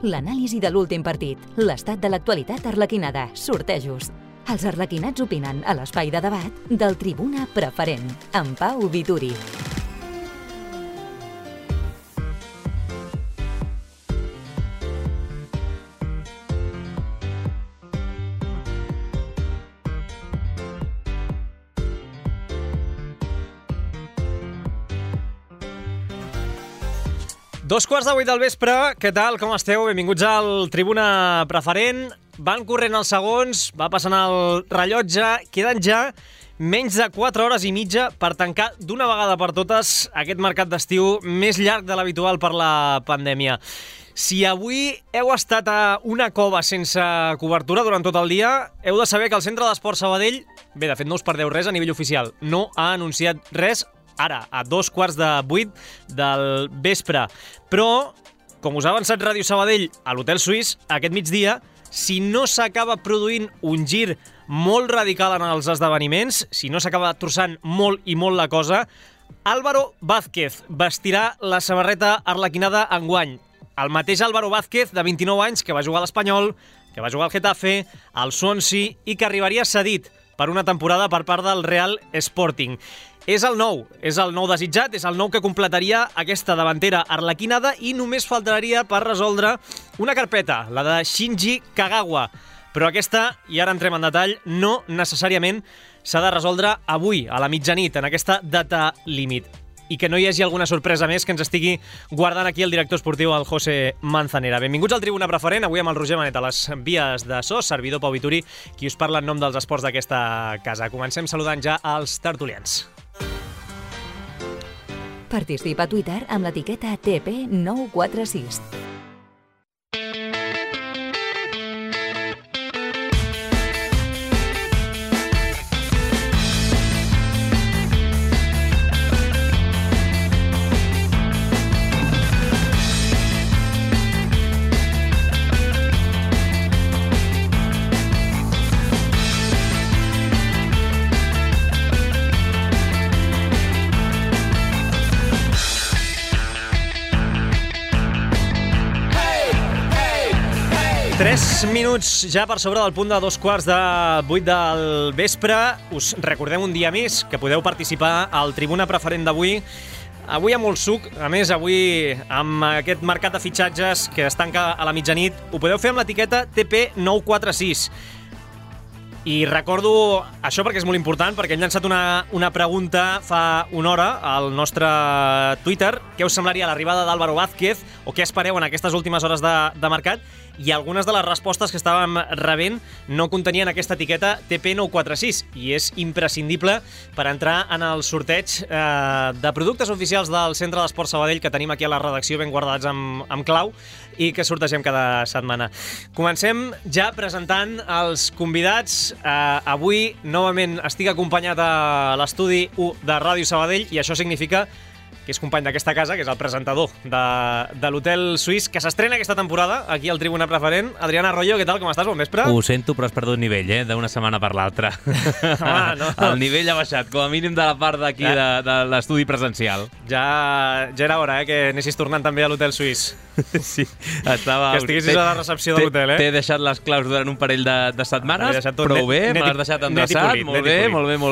l'anàlisi de l'últim partit, l'estat de l'actualitat arlequinada, sortejos. Els arlequinats opinen a l'espai de debat del Tribuna Preferent, amb Pau Vituri. Dos quarts de 8 del vespre, què tal, com esteu? Benvinguts al Tribuna Preferent. Van corrent els segons, va passant el rellotge, queden ja menys de 4 hores i mitja per tancar d'una vegada per totes aquest mercat d'estiu més llarg de l'habitual per la pandèmia. Si avui heu estat a una cova sense cobertura durant tot el dia, heu de saber que el Centre d'Esport Sabadell, bé, de fet no us perdeu res a nivell oficial, no ha anunciat res ara, a 7:45 del vespre. Però, com us ha avançat Ràdio Sabadell a l'Hotel Suís, aquest migdia, si no s'acaba produint un gir molt radical en els esdeveniments, si no s'acaba trossant molt i molt la cosa, Álvaro Vázquez vestirà la samarreta arlequinada enguany. El mateix Álvaro Vázquez, de 29 anys, que va jugar a l'Espanyol, que va jugar al Getafe, al Swansea i que arribaria cedit per una temporada per part del Real Sporting. És el nou desitjat, és el nou que completaria aquesta davantera arlequinada i només faltaria per resoldre una carpeta, la de Shinji Kagawa. Però aquesta, i ara entrem en detall, no necessàriament s'ha de resoldre avui, a la mitjanit, en aquesta data límit. I que no hi hagi alguna sorpresa més que ens estigui guardant aquí el director esportiu, el José Manzanera. Benvinguts al Tribuna Preferent, avui amb el Roger Manet a les vies de so, servidor Pau Vituri, qui us parla en nom dels esports d'aquesta casa. Comencem saludant ja els tertulians. Participa a Twitter amb l'etiqueta TP946. Minuts ja per sobre del punt de 7:45 del vespre. Us recordem un dia més que podeu participar al Tribuna Preferent d'avui. Avui amb molt suc, a més avui amb aquest mercat de fitxatges que es tanca a la mitjanit, ho podeu fer amb l'etiqueta TP946. I recordo això perquè és molt important, perquè hem llançat una pregunta fa una hora al nostre Twitter. Què us semblaria l'arribada d'Álvaro Vázquez o què espereu en aquestes últimes hores de mercat? I algunes de les respostes que estàvem rebent no contenien aquesta etiqueta TP946 i és imprescindible per entrar en el sorteig de productes oficials del Centre d'Esport Sabadell que tenim aquí a la redacció ben guardats amb clau i que sortegem cada setmana. Comencem ja presentant els convidats. Avui, novament, estic acompanyat a l'estudi 1 de Ràdio Sabadell i això significa que és company d'aquesta casa, que és el presentador de l'Hotel Suís, que s'estrena aquesta temporada aquí al Tribuna Preferent. Adrián Arroyo, què tal? Com estàs? Bon vespre. Ho sento, però has perdut nivell, d'una setmana per l'altra. No. El nivell ha baixat, com a mínim de la part d'aquí de l'estudi presencial. Ja era hora, que anessis tornant també a l'Hotel Suís. Sí, estava... Que estiguessis a la recepció de l'hotel, T'he deixat les claus durant un parell de setmanes, prou bé, me l'has deixat endreçat, molt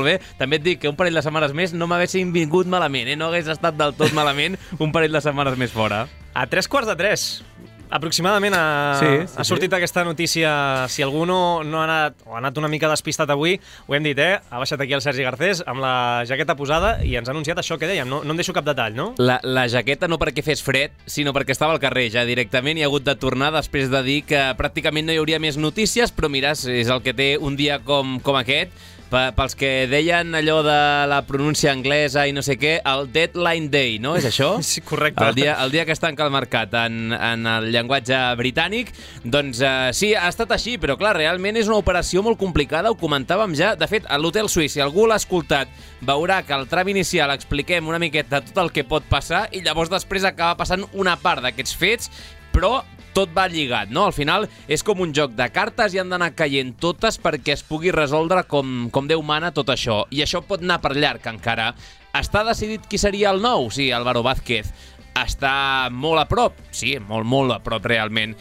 bé. També et dic que un parell de setmanes més no m'haguessin vingut malament, no hagués estat del tot malament un parell de setmanes més fora. A 3:45, aproximadament ha sortit aquesta notícia. Si algú no ha anat una mica despistat avui, ho hem dit, ha baixat aquí el Sergi Garcés amb la jaqueta posada i ens ha anunciat això que dèiem, no em deixo cap detall, no? La jaqueta no perquè fes fred, sinó perquè estava al carrer ja directament i ha hagut de tornar després de dir que pràcticament no hi hauria més notícies, però mira, és el que té un dia com aquest. Pels que deien allò de la pronúncia anglesa i no sé què, el Deadline Day, no? És això? Sí, correcte. El dia que es tanca el mercat en el llenguatge britànic. Doncs sí, ha estat així, però clar, realment és una operació molt complicada, ho comentàvem ja. De fet, a l'Hotel Suís, si algú l'ha escoltat, veurà que al tram inicial expliquem una miqueta tot el que pot passar i llavors després acaba passant una part d'aquests fets, però tot va lligat, no? Al final és com un joc de cartes i han d'anar caient totes perquè es pugui resoldre com Déu mana tot això. I això pot anar per llarg encara. Està decidit qui seria el nou? Sí, Álvaro Vázquez. està molt a prop. Sí, molt a prop realment.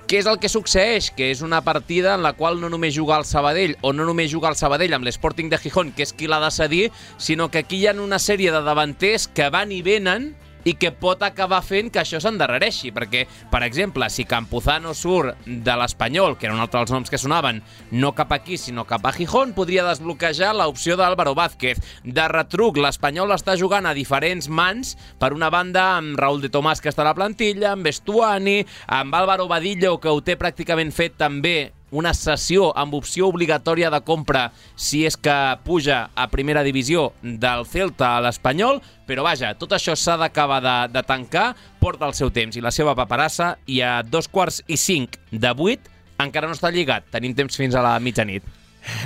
Què és el que succeeix? Que és una partida en la qual no només juga el Sabadell, o no només juga el Sabadell amb l'Sporting de Gijón, que és qui l'ha de cedir, sinó que aquí hi ha una sèrie de davanters que van i venen i que pot acabar fent que això s'endarrereixi, perquè, per exemple, si Campuzano surt de l'Espanyol, que era un altre dels noms que sonaven, no cap aquí, sinó cap a Gijón, podria desbloquejar l'opció d'Álvaro Vázquez. De retruc, l'Espanyol està jugant a diferents mans, per una banda amb Raúl de Tomàs, que està a la plantilla, amb Estuani, amb Álvaro Badillo, que ho té pràcticament fet també, una cessió amb opció obligatòria de compra si és que puja a primera divisió del Celta a l'Espanyol, però vaja, tot això s'ha d'acabar de tancar, porta el seu temps i la seva paperassa, i a 7:45 encara no està lligat, tenim temps fins a la mitjanit.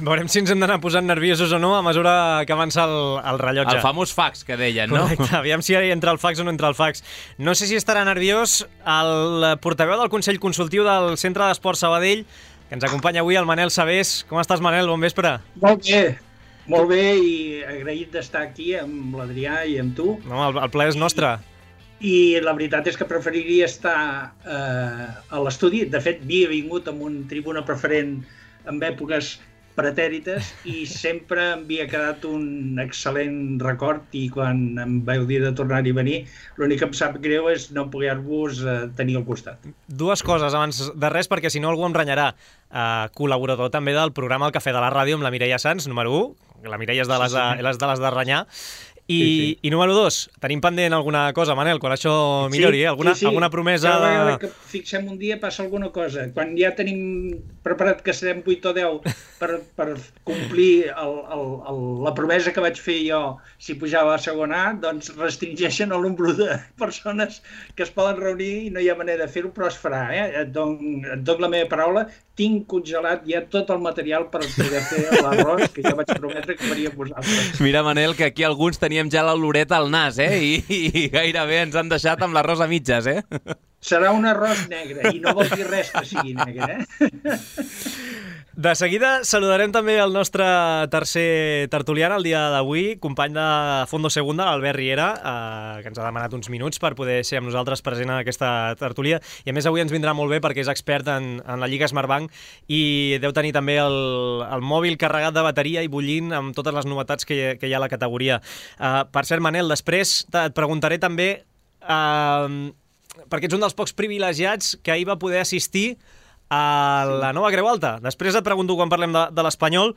Veurem si ens hem d'anar posant nerviosos o no a mesura que avança el rellotge. El famós fax que deien, no? Correcte, aviam si entra el fax o no entra el fax. No sé si estarà nerviós el portaveu del Consell Consultiu del Centre d'Esport Sabadell, que ens acompanya avui, el Manel Sabés. Com estàs, Manel? Bon vespre. Molt bé, i agraït d'estar aquí amb l'Adrià i amb tu. No, el plaer és nostre. I la veritat és que preferiria estar a l'estudi. De fet, havia vingut amb un tribuna preferent en èpoques pretèrites i sempre em havia quedat un excel·lent record, i quan em vau dir de tornar-hi a venir, l'únic que em sap greu és no poder-vos tenir al costat. Dues coses abans de res, perquè si no algú em renyarà. Col·laborador també del programa El Cafè de la Ràdio amb la Mireia Sans, número 1. La Mireia és de les de renyar. I número 2, tenim pendent alguna cosa, Manel, quan això millori, alguna promesa... Cada vegada que fixem un dia passa alguna cosa. Quan ja tenim preparat que serem 8 o 10 per complir la promesa que vaig fer jo si pujava a segona A, doncs restringeixen el nombre de persones que es poden reunir i no hi ha manera de fer-ho, però es farà. Et dono la meva paraula, tinc congelat ja tot el material per poder fer l'arròs que ja vaig prometre que faria vosaltres. Mira, Manel, que aquí alguns teníem ja la oloreta al nas, i gairebé ens han deixat amb l'arròs a mitges, Serà un arròs negre, i no vol dir res que sigui negre, De seguida saludarem també el nostre tercer tertulià el dia d'avui, company de Fondo Segunda, l'Albert Riera, que ens ha demanat uns minuts per poder ser amb nosaltres present en aquesta tertúlia, i a més avui ens vindrà molt bé perquè és expert en la Lliga Smartbank i deu tenir també el mòbil carregat de bateria i bullint amb totes les novetats que hi ha a la categoria. Per cert, Manel, després et preguntaré també, perquè ets un dels pocs privilegiats que ahir va poder assistir a la nova Creu Alta. Després et pregunto quan parlem de l'Espanyol,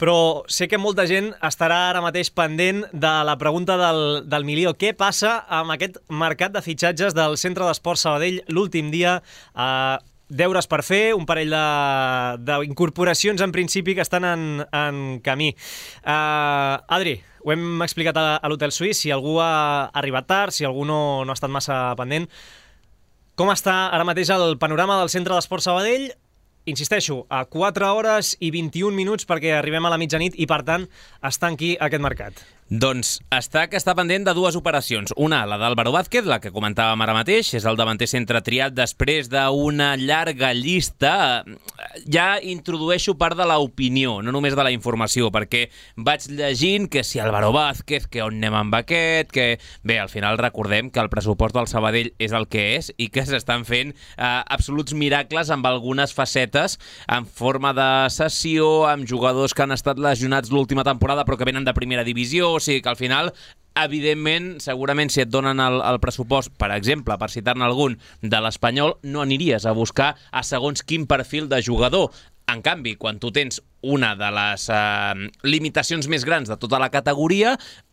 però sé que molta gent estarà ara mateix pendent de la pregunta del milió. Què passa amb aquest mercat de fitxatges del Centre d'Esport Sabadell l'últim dia? Deures per fer, un parell d'incorporacions en principi que estan en camí. Adri, ho hem explicat a l'Hotel Suís, si algú ha arribat tard, si algú no ha estat massa pendent. Com està ara mateix el panorama del Centre d'Esport Sabadell? Insisteixo, a 4 hores i 21 minuts perquè arribem a la mitjanit i, per tant, es tanqui aquest mercat. Doncs està pendent de dues operacions. Una, la d'Álvaro Vázquez, la que comentàvem ara mateix, és el davanter centre triat després d'una llarga llista. Ja introdueixo part de l'opinió, no només de la informació, perquè vaig llegint que si Álvaro Vázquez, que on anem amb aquest, que... Bé, al final recordem que el pressupost del Sabadell és el que és i que s'estan fent absoluts miracles amb algunes facetes en forma de cessió, amb jugadors que han estat lesionats l'última temporada però que venen de primera divisió. O sigui que al final, evidentment, segurament si et donen el pressupost, per exemple, per citar-ne algun, de l'Espanyol, no aniries a buscar a segons quin perfil de jugador. En canvi, quan tu tens una de les limitacions més grans de tota la categoria,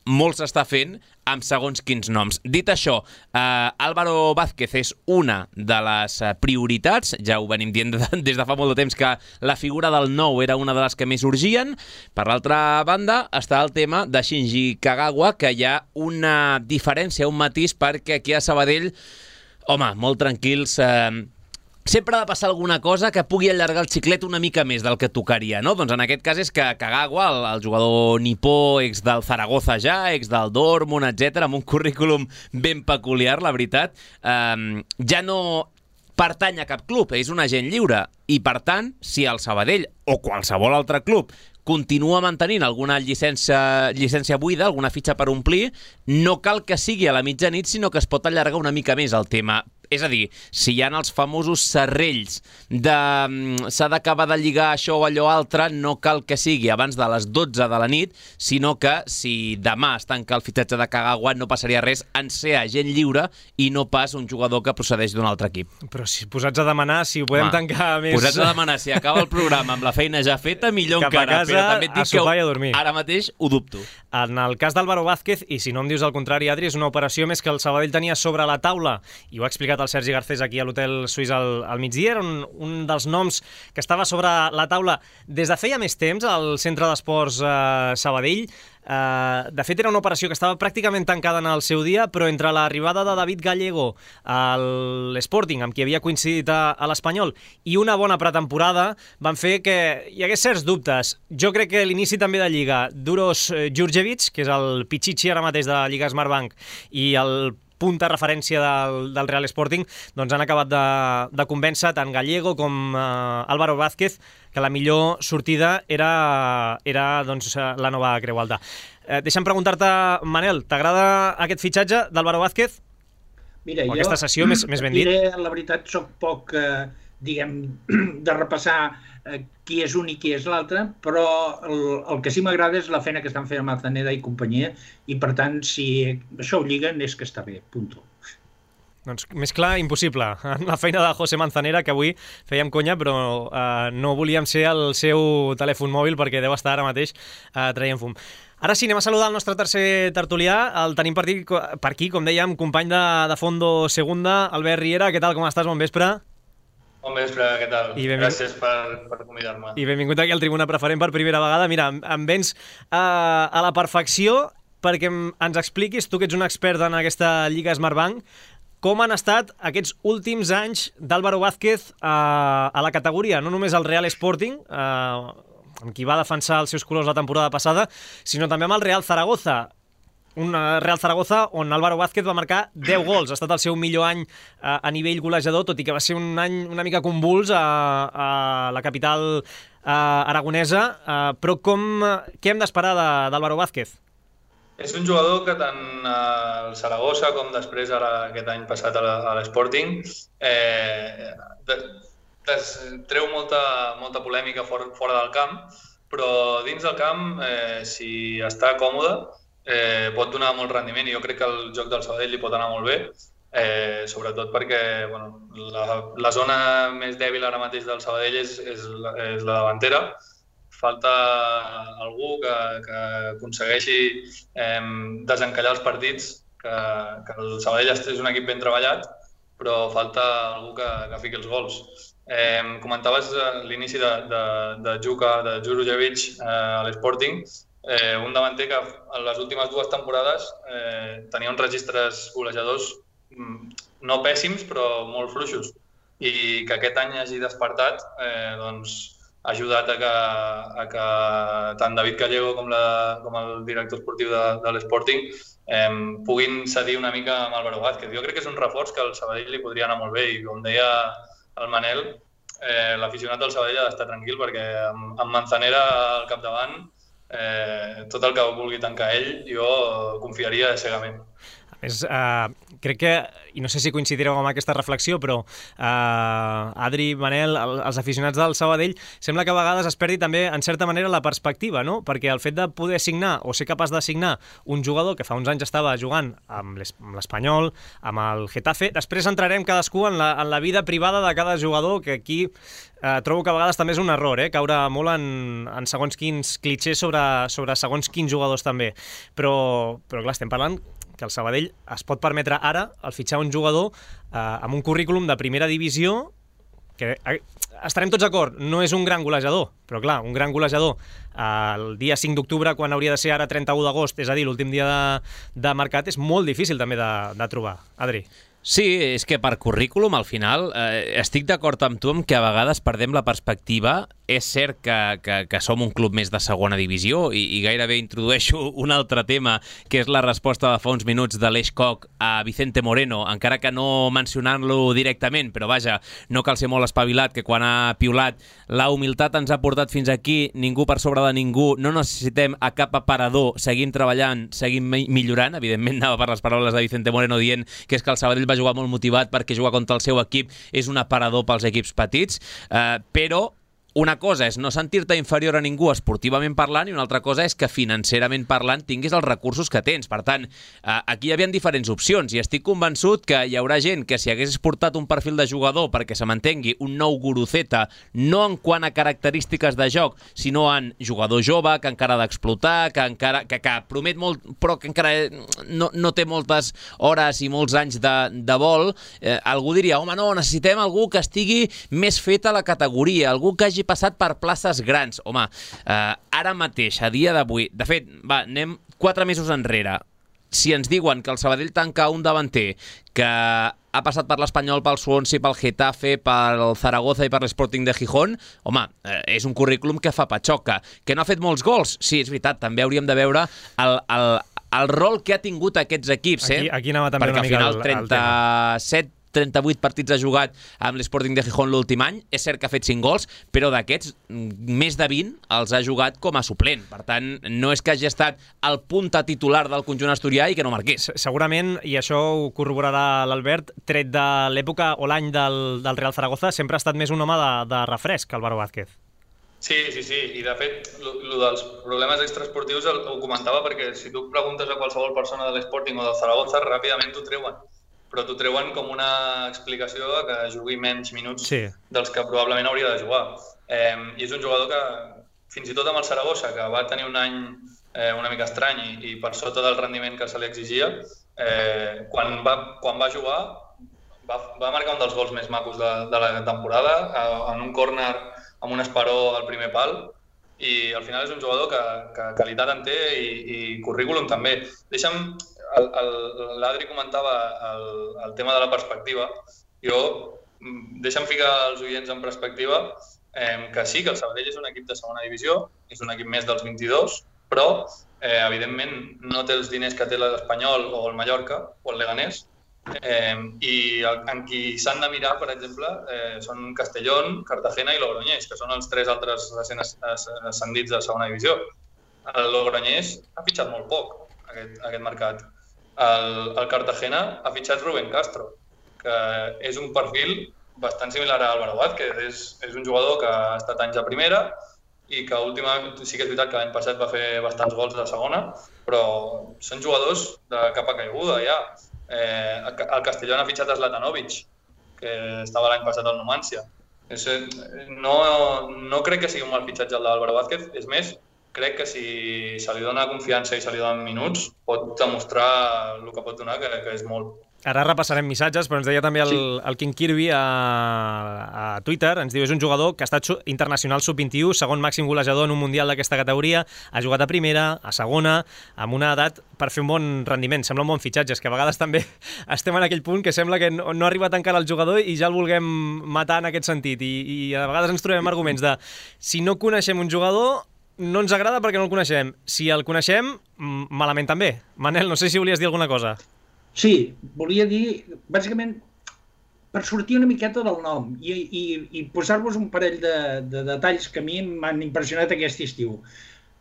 molt s'està fent amb segons quins noms. Dit això, Álvaro Vázquez és una de les prioritats, ja ho venim dient des de fa molt de temps que la figura del nou era una de les que més urgien. Per l'altra banda, està el tema de Shinji Kagawa, que hi ha una diferència, un matís, perquè aquí a Sabadell, home, molt tranquils... Sempre ha de passar alguna cosa que pugui allargar el xiclet una mica més del que tocaria, no? Doncs en aquest cas és que Kagawa, el jugador nipó, ex del Zaragoza ja, ex del Dortmund, etc., amb un currículum ben peculiar, la veritat, ja no pertany a cap club, és un agent lliure. I, per tant, si el Sabadell o qualsevol altre club continua mantenint alguna llicència buida, alguna fitxa per omplir, no cal que sigui a la mitjanit, sinó que es pot allargar una mica més el tema. És a dir, si hi ha els famosos serrells de s'ha d'acabar de lligar això o allò altre, no cal que sigui abans de les 12 de la nit, sinó que si demà es tanca el fitxatge de Kagawa no passaria res en ser agent lliure i no pas un jugador que procedeix d'un altre equip. Però si posats a demanar, si ho podem tancar més... Posats a demanar, si acaba el programa amb la feina ja feta, millor encara. Cap a casa, però també et dic a sopar i a dormir. Ara mateix ho dubto. En el cas d'Álvaro Vázquez, i si no em dius el contrari, Adri, és una operació més que el Sabadell tenia sobre la taula, i ho ha explicat el Sergi Garcés aquí a l'Hotel Suís al migdia, era un dels noms que estava sobre la taula des de feia més temps al Centre d'Esports Sabadell. De fet, era una operació que estava pràcticament tancada en el seu dia, però entre l'arribada de David Gallego a l'Sporting, amb qui havia coincidit a l'Espanyol, i una bona pretemporada, van fer que hi hagués certs dubtes. Jo crec que l'inici també de Lliga d'Uros Djurdjevic, que és el Pichichi ara mateix de la Lliga Smartbank, i el punta referència del Real Sporting, doncs han acabat de convèncer tant Gallego com Álvaro Vázquez que la millor sortida era doncs, la nova Creu Alta. Deixa'm preguntar-te, Manel, t'agrada aquest fitxatge d'Álvaro Vázquez? Mira, o aquesta sessió, més ben dit? La veritat, soc poc, diguem, de repassar qui és un i qui és l'altre, però el que sí m'agrada és la feina que estan fent amb Manzanera i companyia, i per tant, si això ho lliguen, és que està bé, punto. Doncs més clar, impossible. La feina de José Manzanera, que avui fèiem conya, però no volíem ser el seu telèfon mòbil perquè deu estar ara mateix traient fum. Ara sí, anem a saludar el nostre tercer tertulià. El tenim per aquí, com dèiem, company de Fondo Segunda, Albert Riera. Què tal, com estàs? Bon vespre. Bon vespre, què tal? Gràcies per convidar-me. I benvingut aquí al Tribuna Preferent per primera vegada. Mira, em vens a la perfecció perquè ens expliquis, tu que ets un expert en aquesta Lliga Smartbank, com han estat aquests últims anys d'Álvaro Vázquez a la categoria, no només al Real Sporting, amb qui va defensar els seus colors la temporada passada, sinó també amb el Real Zaragoza. Un Real Zaragoza on Álvaro Vázquez va marcar 10 gols. Ha estat el seu millor any a nivell golejador, tot i que va ser un any una mica convuls a la capital aragonesa. Però què hem d'esperar d'Álvaro Vázquez? És un jugador que tant al Zaragoza com després ara aquest any passat a l'Sporting treu molta polèmica fora del camp, però dins del camp, si està còmode, pot donar molt rendiment, i jo crec que el joc del Sabadell li pot anar molt bé, sobretot perquè la zona més dèbil ara mateix del Sabadell és la davantera. Falta algú que aconsegueixi desencallar els partits, que el Sabadell és un equip ben treballat, però falta algú que fiqui els gols. Comentaves l'inici de Djurdjevic a l'Sporting, un davanter que en les últimes 2 temporades tenia uns registres golejadors no pèssims, però molt fluixos, i que aquest any hagi despertat ha ajudat a que tant David Gallego com el director esportiu de l'Sporting puguin cedir una mica amb Álvaro Vázquez. Jo crec que és un reforç que al Sabadell li podria anar molt bé, i com deia el Manel, l'aficionat del Sabadell ha d'estar tranquil perquè amb Manzanera al capdavant, tot el que vulgui tancar ell, jo confiaria cegament. A més, crec que, i no sé si coincidireu amb aquesta reflexió, però Adri, Manel, els aficionats del Sabadell, sembla que a vegades es perdi també, en certa manera, la perspectiva, no? Perquè el fet de poder signar o ser capaç de signar un jugador que fa uns anys estava jugant amb l'Espanyol, amb el Getafe, després entrarem cadascú en la vida privada de cada jugador, que aquí trobo que a vegades també és un error, caure molt en segons quins clitxers sobre segons quins jugadors també. Però clar, estem parlant que el Sabadell es pot permetre ara el fitxar un jugador amb un currículum de primera divisió que estarem tots d'acord, no és un gran golejador, però clar, un gran golejador el dia 5 d'octubre, quan hauria de ser ara 31 d'agost, és a dir, l'últim dia de mercat, és molt difícil també de trobar. Adri. Sí, és que per currículum, al final, estic d'acord amb tu en que a vegades perdem la perspectiva és cert que som un club més de segona divisió i gairebé introdueixo un altre tema, que és la resposta de fa uns minuts de l'Eix Coc a Vicente Moreno, encara que no mencionant-lo directament, però vaja, no cal ser molt espavilat, que quan ha piulat la humilitat ens ha portat fins aquí, ningú per sobre de ningú, no necessitem a cap aparador, seguim treballant, seguim millorant. Evidentment anava per les paraules de Vicente Moreno dient que és que el Sabadell va jugar molt motivat perquè jugar contra el seu equip és un aparador pels equips petits, però una cosa és no sentir-te inferior a ningú esportivament parlant i una altra cosa és que financerament parlant tinguis els recursos que tens. Per tant, aquí hi havia diferents opcions i estic convençut que hi haurà gent que si hagués portat un perfil de jugador perquè se m'entengui un nou Guruceta, no en quant a característiques de joc, sinó en jugador jove que encara ha d'explotar, que promet molt però que encara no té moltes hores i molts anys de vol, algú diria, home, no, necessitem algú que estigui més fet a la categoria, algú que hagi passat per places grans. Home, ara mateix, a dia d'avui, de fet, anem 4 mesos enrere. Si ens diuen que el Sabadell tanca un davanter que ha passat per l'Espanyol, pel Swansea, pel Getafe, pel Zaragoza i per l'Sporting de Gijón, home, és un currículum que fa patxoca. Que no ha fet molts gols? Sí, és veritat, també hauríem de veure el rol que ha tingut aquests equips. Aquí anava també una mica el tema. 38 partits ha jugat amb l'Sporting de Gijón l'últim any. És cert que ha fet 5 gols, però d'aquests, més de 20 els ha jugat com a suplent. Per tant, no és que hagi estat el punta titular del conjunt asturià i que no marqués. Segurament, i això ho corroborarà l'Albert, tret de l'època o l'any del Real Zaragoza, sempre ha estat més un home de refresc que Álvaro Vázquez. Sí. I de fet, el dels problemes extraesportius ho comentava perquè si tu preguntes a qualsevol persona de l'Sporting o del Zaragoza, ràpidament t'ho treuen. Però t'ho treuen com una explicació que jugui menys minuts dels que probablement hauria de jugar. I és un jugador que, fins i tot amb el Saragossa, que va tenir un any una mica estrany i per sota del rendiment que se li exigia, quan va jugar va marcar un dels gols més macos de la temporada, en un córner amb un esperó al primer pal, i al final és un jugador que qualitat en té i currículum també. Deixa'm... L'Adri comentava el tema de la perspectiva. Deixa'm ficar els oients en perspectiva que sí, que el Sabadell és un equip de segona divisió, és un equip més dels 22, però evidentment no té els diners que té l'Espanyol o el Mallorca o el Leganés, i en qui s'han de mirar, per exemple, són Castellón, Cartagena i Logroñés, que són els 3 altres recents ascendits de segona divisió. El Logroñés ha fitxat molt poc aquest mercat. El Cartagena ha fitxat Rubén Castro, que és un perfil bastant similar a Álvaro Vázquez. És un jugador que ha estat anys a primera i que últimament, sí que és veritat que l'any passat va fer bastants gols de segona, però són jugadors de capa caiguda ja. El Castellón ha fitxat Zlatanovic, que estava l'any passat al Numancia. No crec que sigui un mal fitxatge el d'Álvaro Vázquez, és més, crec que si se li dona confiança i se li donen minuts, pot demostrar el que pot donar, que és molt. Ara repassarem missatges, però ens deia també el King Kirby a Twitter, ens diu, és un jugador que ha estat internacional sub-21, segon màxim golejador en un mundial d'aquesta categoria, ha jugat a primera, a segona, amb una edat per fer un bon rendiment. Sembla un bon fitxatge, és que a vegades també estem en aquell punt que sembla que no ha arribat encara el jugador i ja el vulguem matar en aquest sentit, i a vegades ens trobem arguments de si no coneixem un jugador no ens agrada perquè no el coneixem. Si el coneixem, malament també. Manel, no sé si volies dir alguna cosa. Sí, volia dir, bàsicament, per sortir una miqueta del nom i posar-vos un parell de detalls que a mi m'han impressionat aquest estiu.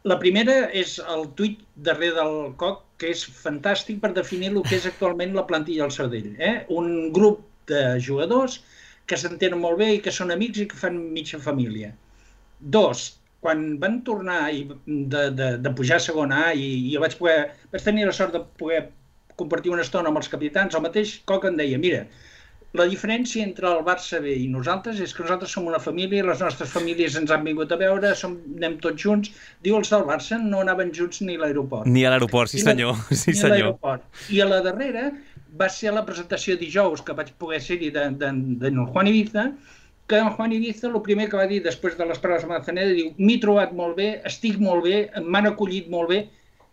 La primera és el tuit darrere del Coc, que és fantàstic per definir el que és actualment la plantilla del Sabadell. Un grup de jugadors que s'entenen molt bé i que són amics i que fan mitja família. 2, quan van tornar de pujar a segona A i jo vaig tenir la sort de poder compartir una estona amb els capitans, el mateix Coc em deia, mira, la diferència entre el Barça B i nosaltres és que nosaltres som una família, les nostres famílies ens han vingut a veure, anem tots junts. Diu, els del Barça no anaven junts ni a l'aeroport. Ni a l'aeroport, sí senyor. Ni a l'aeroport. I a la darrera va ser la presentació dijous que vaig poder ser-hi d'en Juan Ibiza, que en Juan Ibiza el primer que va dir després de les paraules de Manzaneda, diu, m'he trobat molt bé, estic molt bé, m'han acollit molt bé.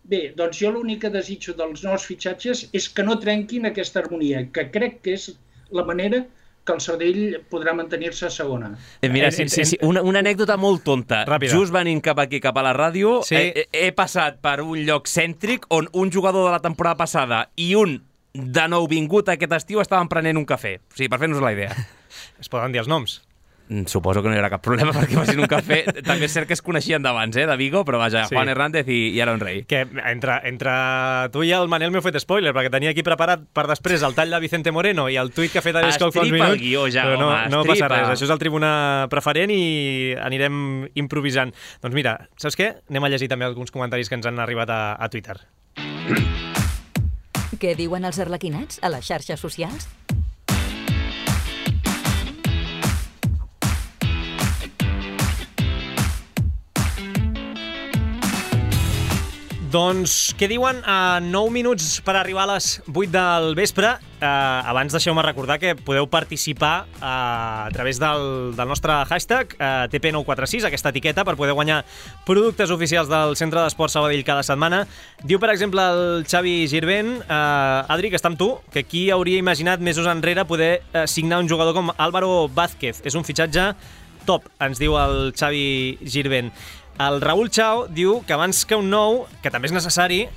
Bé, doncs jo l'únic que desitjo dels nous fitxatges és que no trenquin aquesta harmonia, que crec que és la manera que el Sabadell podrà mantenir-se a segona. Mira, una anècdota molt tonta. Ràpida. Just venint cap aquí, cap a la ràdio, Sí. he passat per un lloc cèntric on un jugador de la temporada passada i un de nou vingut aquest estiu estaven prenent un cafè. O sigui, per fer-nos la idea. Es poden dir els noms. Suposo que no hi haurà cap problema perquè facin un cafè. També és cert que es coneixien d'abans, de Vigo, però vaja, Sí. Juan Hernández i Aaron Rey. Que entre tu i el Manel m'heu fet spoiler, perquè tenia aquí preparat per després el tall de Vicente Moreno i el tuit que ha fet Aresco fa uns Estripa minuts. el guió ja, però home, no passa estripa. res, això és el Tribuna Preferent i anirem improvisant. Doncs mira, saps què? Anem a llegir també alguns comentaris que ens han arribat a Twitter. Què diuen els arlequinats a les xarxes socials? Doncs, què diuen? A 9 minuts per arribar a les 8 del vespre. Abans deixeu-me recordar que podeu participar a través del nostre hashtag TP946, aquesta etiqueta, per poder guanyar productes oficials del Centre d'Esports Sabadell cada setmana. Diu, per exemple, el Xavi Girvent, Adri, que està amb tu, que qui hauria imaginat mesos enrere poder signar un jugador com Álvaro Vázquez. És un fitxatge top, ens diu el Xavi Girvent. El Raúl Chao diu que abans que un nou, que també és necessari,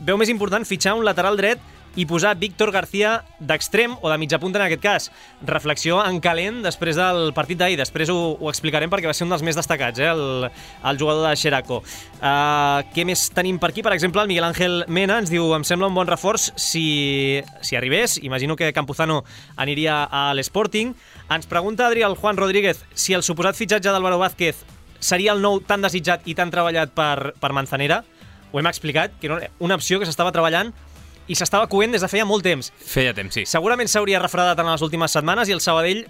veu més important fitxar un lateral dret i posar Víctor García d'extrem o de mitja punta en aquest cas. Reflexió en calent després del partit d'ahir. Després ho explicarem perquè va ser un dels més destacats, el jugador de Xeraco. Què més tenim per aquí? Per exemple, el Miguel Ángel Mena ens diu: em sembla un bon reforç si arribés. Imagino que Campuzano aniria a l'Sporting. Ens pregunta, Adri, el Juan Rodríguez, si el suposat fitxatge d'Álvaro Vázquez seria el nou tan desitjat i tan treballat per Manzanera. Ho hem explicat, que era una opció que s'estava treballant i s'estava coent des de feia molt temps. Feia temps, sí. Segurament s'hauria refredat en les últimes setmanes i el Sabadell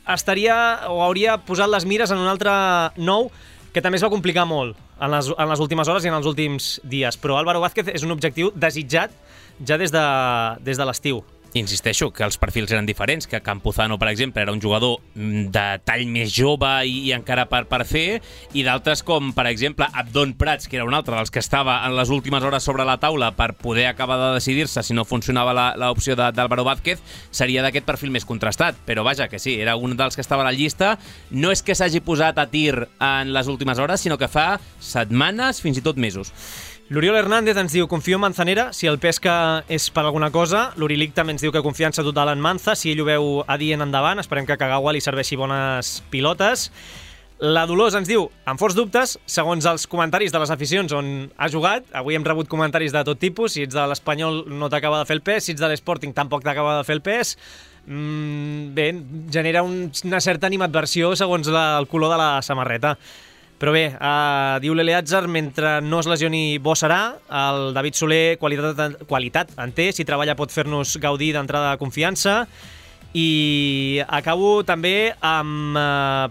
hauria posat les mires en un altre nou que també es va complicar molt en les últimes hores i en els últims dies. Però Álvaro Vázquez és un objectiu desitjat ja des de l'estiu. Insisteixo que els perfils eren diferents, que Campuzano, per exemple, era un jugador de tall més jove i encara per fer, i d'altres com, per exemple, Abdon Prats, que era un altre dels que estava en les últimes hores sobre la taula per poder acabar de decidir-se si no funcionava l'opció d'Álvaro Vázquez, seria d'aquest perfil més contrastat. Però vaja, que sí, era un dels que estava a la llista. No és que s'hagi posat a tir en les últimes hores, sinó que fa setmanes, fins i tot mesos. L'Oriol Hernández ens diu: confio en Manzanera, si el pesca és per alguna cosa. L'Urilic també ens diu que confiança total en Manza, si ell ho veu adient endavant. Esperem que a Kagawa li serveixi bones pilotes. La Dolors ens diu: amb forts dubtes, segons els comentaris de les aficions on ha jugat. Avui hem rebut comentaris de tot tipus. Si ets de l'Espanyol no t'acaba de fer el pes, si ets de l'Sporting tampoc t'acaba de fer el pes. Bé, genera una certa animadversió segons el color de la samarreta. Però bé, diu l'Eleazar, mentre no es lesioni bo serà. El David Soler, qualitat en té, si treballa pot fer-nos gaudir d'entrada de confiança. I acabo també amb,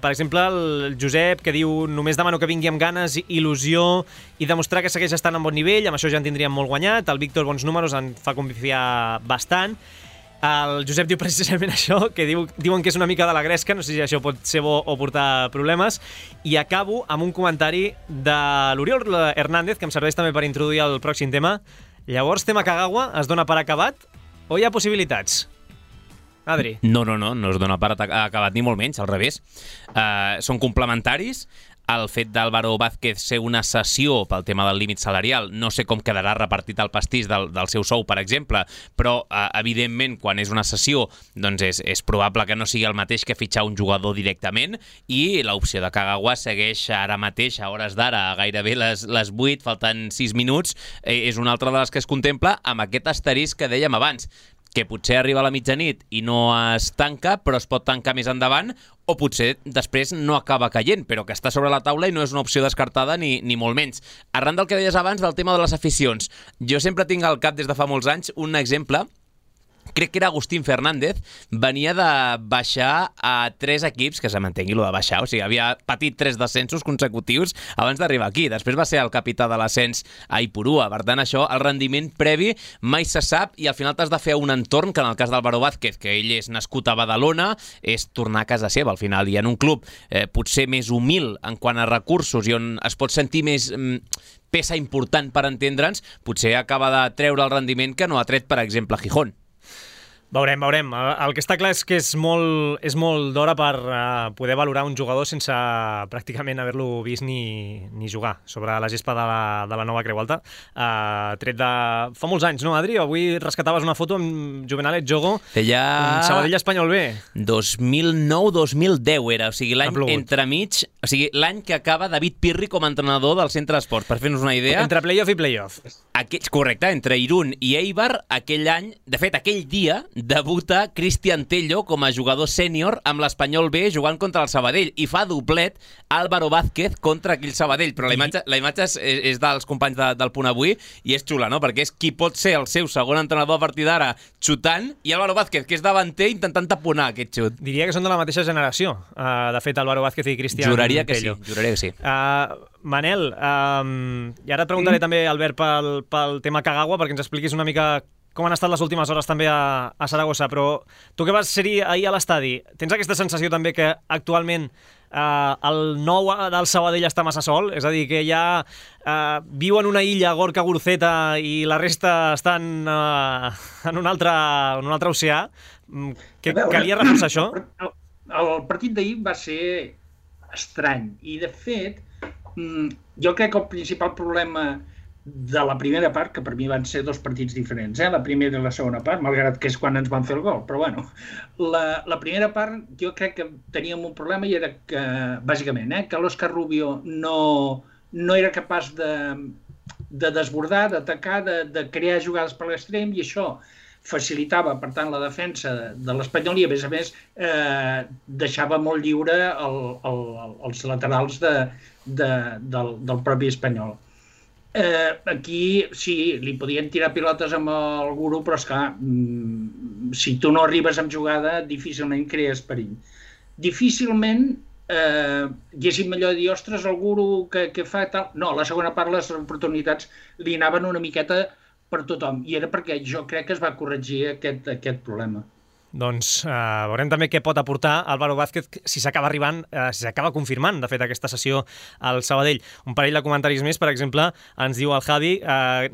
per exemple, el Josep, que diu: només demano que vingui amb ganes, il·lusió i demostrar que segueix estant en bon nivell. Amb això ja en tindríem molt guanyat. El Víctor, bons números, en fa confiar bastant. El Josep diu precisament això, que diuen que és una mica de la gresca, no sé si això pot ser bo o portar problemes. I acabo amb un comentari de l'Oriol Hernández, que em serveix també per introduir el pròxim tema. Llavors, tema Kagawa es dona per acabat o hi ha possibilitats? Adri? No es dona per acabat ni molt menys, al revés. Són complementaris. El fet d'Álvaro Vázquez ser una cessió pel tema del límit salarial, no sé com quedarà repartit el pastís del seu sou, per exemple, però evidentment quan és una cessió doncs és probable que no sigui el mateix que fitxar un jugador directament, i l'opció de Kagawa segueix ara mateix, a hores d'ara, gairebé les 8, faltant 6 minuts, és una altra de les que es contempla, amb aquest asterisc que dèiem abans, que potser arriba a la mitjanit i no es tanca, però es pot tancar més endavant, o potser després no acaba caient, però que està sobre la taula i no és una opció descartada ni molt menys. Arran del que deies abans del tema de les aficions, jo sempre tinc al cap des de fa molts anys un exemple. Crec que era Agustín Fernández, venia de baixar a 3 equips, que se m'entengui lo de baixar, o sigui, havia patit 3 descensos consecutius abans d'arribar aquí. Després va ser el capità de l'ascens a Ipurua. Per tant, això, el rendiment previ mai se sap, i al final t'has de fer un entorn, que en el cas d'Álvaro Vázquez, que ell és nascut a Badalona, és tornar a casa seva al final, i en un club potser més humil en quant a recursos i on es pot sentir més peça important per entendre'ns, potser acaba de treure el rendiment que no ha tret, per exemple, Gijón. Veurem. El que està clar és que és molt d'hora per poder valorar un jugador sense pràcticament haver-lo vist ni jugar sobre la gespa de la nova Creu Alta. Tret de... Fa molts anys, no, Adri? Avui rescataves una foto amb Juvenalet Jogo. Sabadell Espanyol B. 2009-2010 era, o sigui, l'any entremig, o sigui, l'any que acaba David Pirri com a entrenador del Centre d'Esports, per fer-nos una idea. Entre playoff i playoff. Correcte, entre Irún i Eibar, aquell any, de fet, aquell dia, debuta Cristian Tello com a jugador sènior amb l'Espanyol B jugant contra el Sabadell i fa doblet Álvaro Vázquez contra aquell Sabadell, però la imatge és dels companys del Punt Avui i és xula, no? Perquè és qui pot ser el seu segon entrenador a partir d'ara xutant i Álvaro Vázquez, que és davanter intentant taponar aquest xut. Diria que són de la mateixa generació, de fet, Álvaro Vázquez i Cristian Tello. Juraria que sí. Manel, i ara et preguntaré també, Albert, pel tema Kagawa, perquè ens expliquis una mica com han estat les últimes hores també a Saragossa, però tu que vas ser-hi ahir a l'estadi, tens aquesta sensació també que actualment el nou del Sabadell està massa sol? És a dir, que ja viu en una illa Gorka Guruceta i la resta estan en un altre oceà? Calia reforçar això? El partit d'ahir va ser estrany i, de fet, jo crec que el principal problema de la primera part, que per mi van ser dos partits diferents, la primera i la segona part, malgrat que és quan ens van fer el gol, però bueno, la primera part jo crec que teníem un problema i era que, bàsicament, que l'Òscar Rubio no era capaç de desbordar, d'atacar, de crear jugades per l'extrem, i això facilitava, per tant, la defensa de l'Espanyol i, a més, deixava molt lliure els laterals del propi Espanyol. Aquí sí, li podien tirar pilotes amb el Guru, però esclar, si tu no arribes amb jugada, difícilment crees perill. Difícilment haguéssim allò de dir, ostres, el Guru que fa tal... No, la segona part les oportunitats li anaven una miqueta per tothom, i era perquè jo crec que es va corregir aquest problema. Doncs veurem també què pot aportar Álvaro Vázquez si s'acaba confirmant, de fet, aquesta sessió al Sabadell. Un parell de comentaris més, per exemple, ens diu el Javi,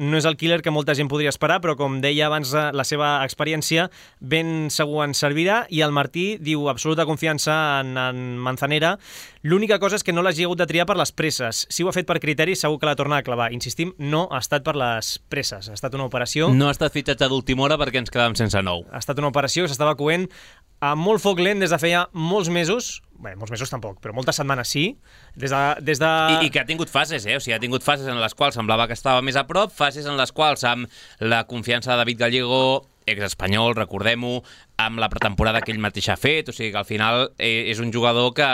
no és el killer que molta gent podria esperar, però com deia abans, la seva experiència ben segur ens servirà, i el Martí diu absoluta confiança en Manzanera. L'única cosa és que no l'hagi hagut de triar per les presses. Si ho ha fet per criteri, segur que la torna a clavar. Insistim, no ha estat per les presses. Ha estat una operació... No ha estat fitxatge d'última hora perquè ens quedàvem sense nou. Ha estat una operació que s'estava coent amb molt foc lent des de feia molts mesos. Bé, molts mesos tampoc, però moltes setmanes sí. Des de... I que ha tingut fases, O sigui, ha tingut fases en les quals semblava que estava més a prop, fases en les quals, amb la confiança de David Gallego, exespanyol, recordem-ho, amb la pretemporada que ell mateix ha fet, o sigui que al final és un jugador que...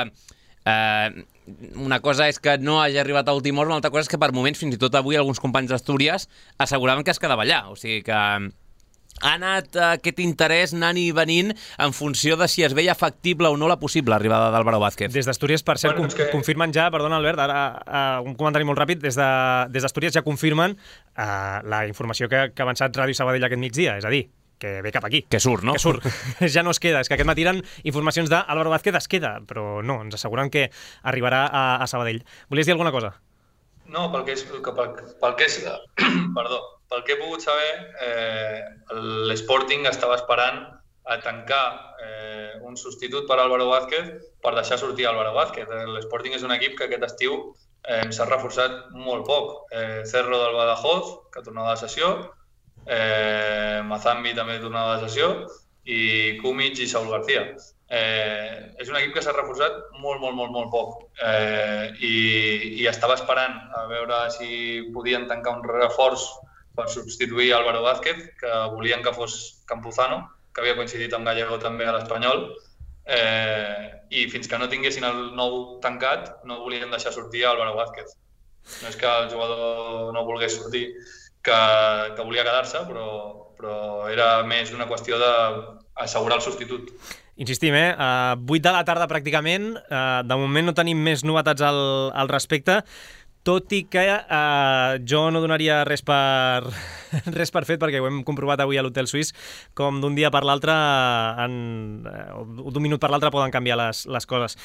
una cosa és que no hagi arribat a última hora, una altra cosa és que per moments, fins i tot avui, alguns companys d'Astúries asseguraven que es quedava allà. O sigui que ha anat aquest interès anant i venint en funció de si es veia factible o no la possible arribada d'Álvaro Vázquez. Des d'Astúries, per cert, confirmen ja, perdona Albert, ara un comentari molt ràpid, des d'Astúries ja confirmen la informació que ha avançat Ràdio Sabadell aquest migdia, és a dir, que ve cap aquí. Que surt, no? Que surt. Ja no es queda. És que aquest matí eren informacions d'Álvaro Vázquez, es queda, però no, ens asseguren que arribarà a Sabadell. Volies dir alguna cosa? No, pel que he pogut saber, l'Sporting estava esperant a tancar un substitut per Álvaro Vázquez per deixar sortir Álvaro Vázquez. L'Sporting és un equip que aquest estiu s'ha reforçat molt poc. Cerro del Badajoz, que tornava de sessió, Mazambi també tornava de sessió, i Kumic i Saúl García. És un equip que s'ha reforçat molt poc, i estava esperant a veure si podien tancar un reforç per substituir Álvaro Vázquez, que volien que fos Campuzano, que havia coincidit amb Gallego també a l'Espanyol, i fins que no tinguessin el nou tancat no volien deixar sortir Álvaro Vázquez. No és que el jugador no volgués sortir, que volia quedar-se, però era més una qüestió d'assegurar el substitut. Insistim, 8 de la tarda pràcticament, de moment no tenim més novetats al respecte. tot i que jo no donaria res per fet, perquè ho hem comprovat avui a l'Hotel Suís, com d'un dia per l'altre, d'un minut per l'altre poden canviar les coses.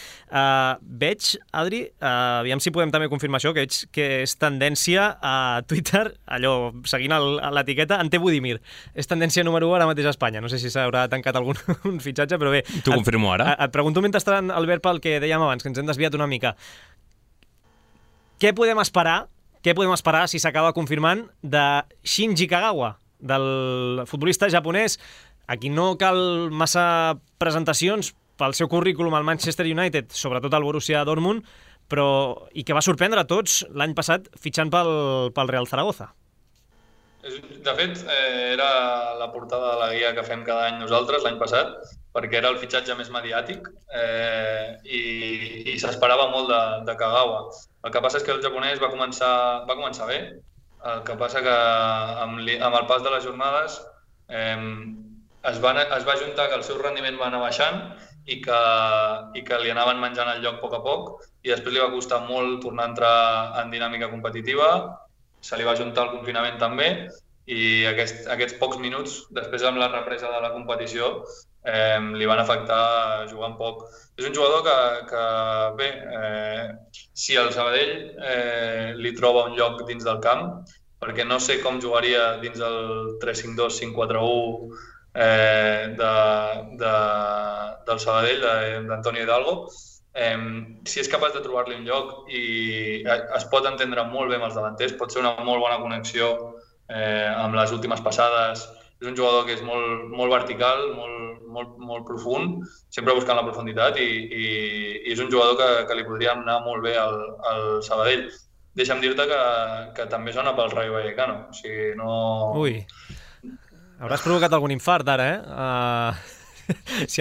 Veig, Adri, aviam si podem també confirmar això, que veig que és tendència a Twitter, allò, seguint l'etiqueta, Ante Budimir. És tendència número 1 ara mateix a Espanya. No sé si s'haurà tancat algun fitxatge, però bé. T'ho confirmo ara. Et pregunto mentrestant, Albert, pel que dèiem abans, que ens hem desviat una mica. Què podem esperar si s'acaba confirmant de Shinji Kagawa, del futbolista japonès, a qui no cal massa presentacions pel seu currículum al Manchester United, sobretot al Borussia Dortmund, i que va sorprendre a tots l'any passat fitxant pel Real Zaragoza. De fet, era la portada de la guia que fem cada any nosaltres l'any passat, perquè era el fitxatge més mediàtic i s'esperava molt de Kagawa. El que passa és que el japonès va començar bé, el que passa que amb el pas de les jornades es va juntar que el seu rendiment va anar baixant i que li anaven menjant el lloc a poc, i després li va costar molt tornar a entrar en dinàmica competitiva, se li va juntar el confinament també, i aquests pocs minuts, després amb la represa de la competició, li van afectar jugant poc. És un jugador que bé, si el Sabadell li troba un lloc dins del camp, perquè no sé com jugaria dins el 3-5-2, 5-4-1 del Sabadell, d'Antonio Hidalgo, si és capaç de trobar-li un lloc i es pot entendre molt bé amb els davanters, pot ser una molt bona connexió amb les últimes passades. És un jugador que és molt vertical, molt profund, sempre buscant la profunditat, i és un jugador que li podria anar molt bé al Sabadell. Deixa'm dir-te que també sona pel Rayo Vallecano. O sigui, no... Ui, hauràs provocat algun infart ara, Si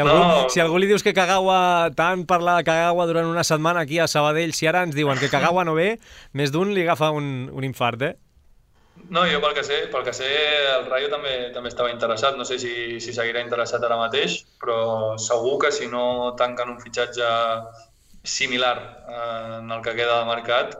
algú li dius que Kagawa, tant parlar de Kagawa durant una setmana aquí a Sabadell, si ara ens diuen que Kagawa no ve, més d'un li agafa un infart, No, jo pel que sé el Rayo també estava interessat, no sé si seguirà interessat ara mateix, però segur que si no tanquen un fitxatge similar en el que queda de mercat,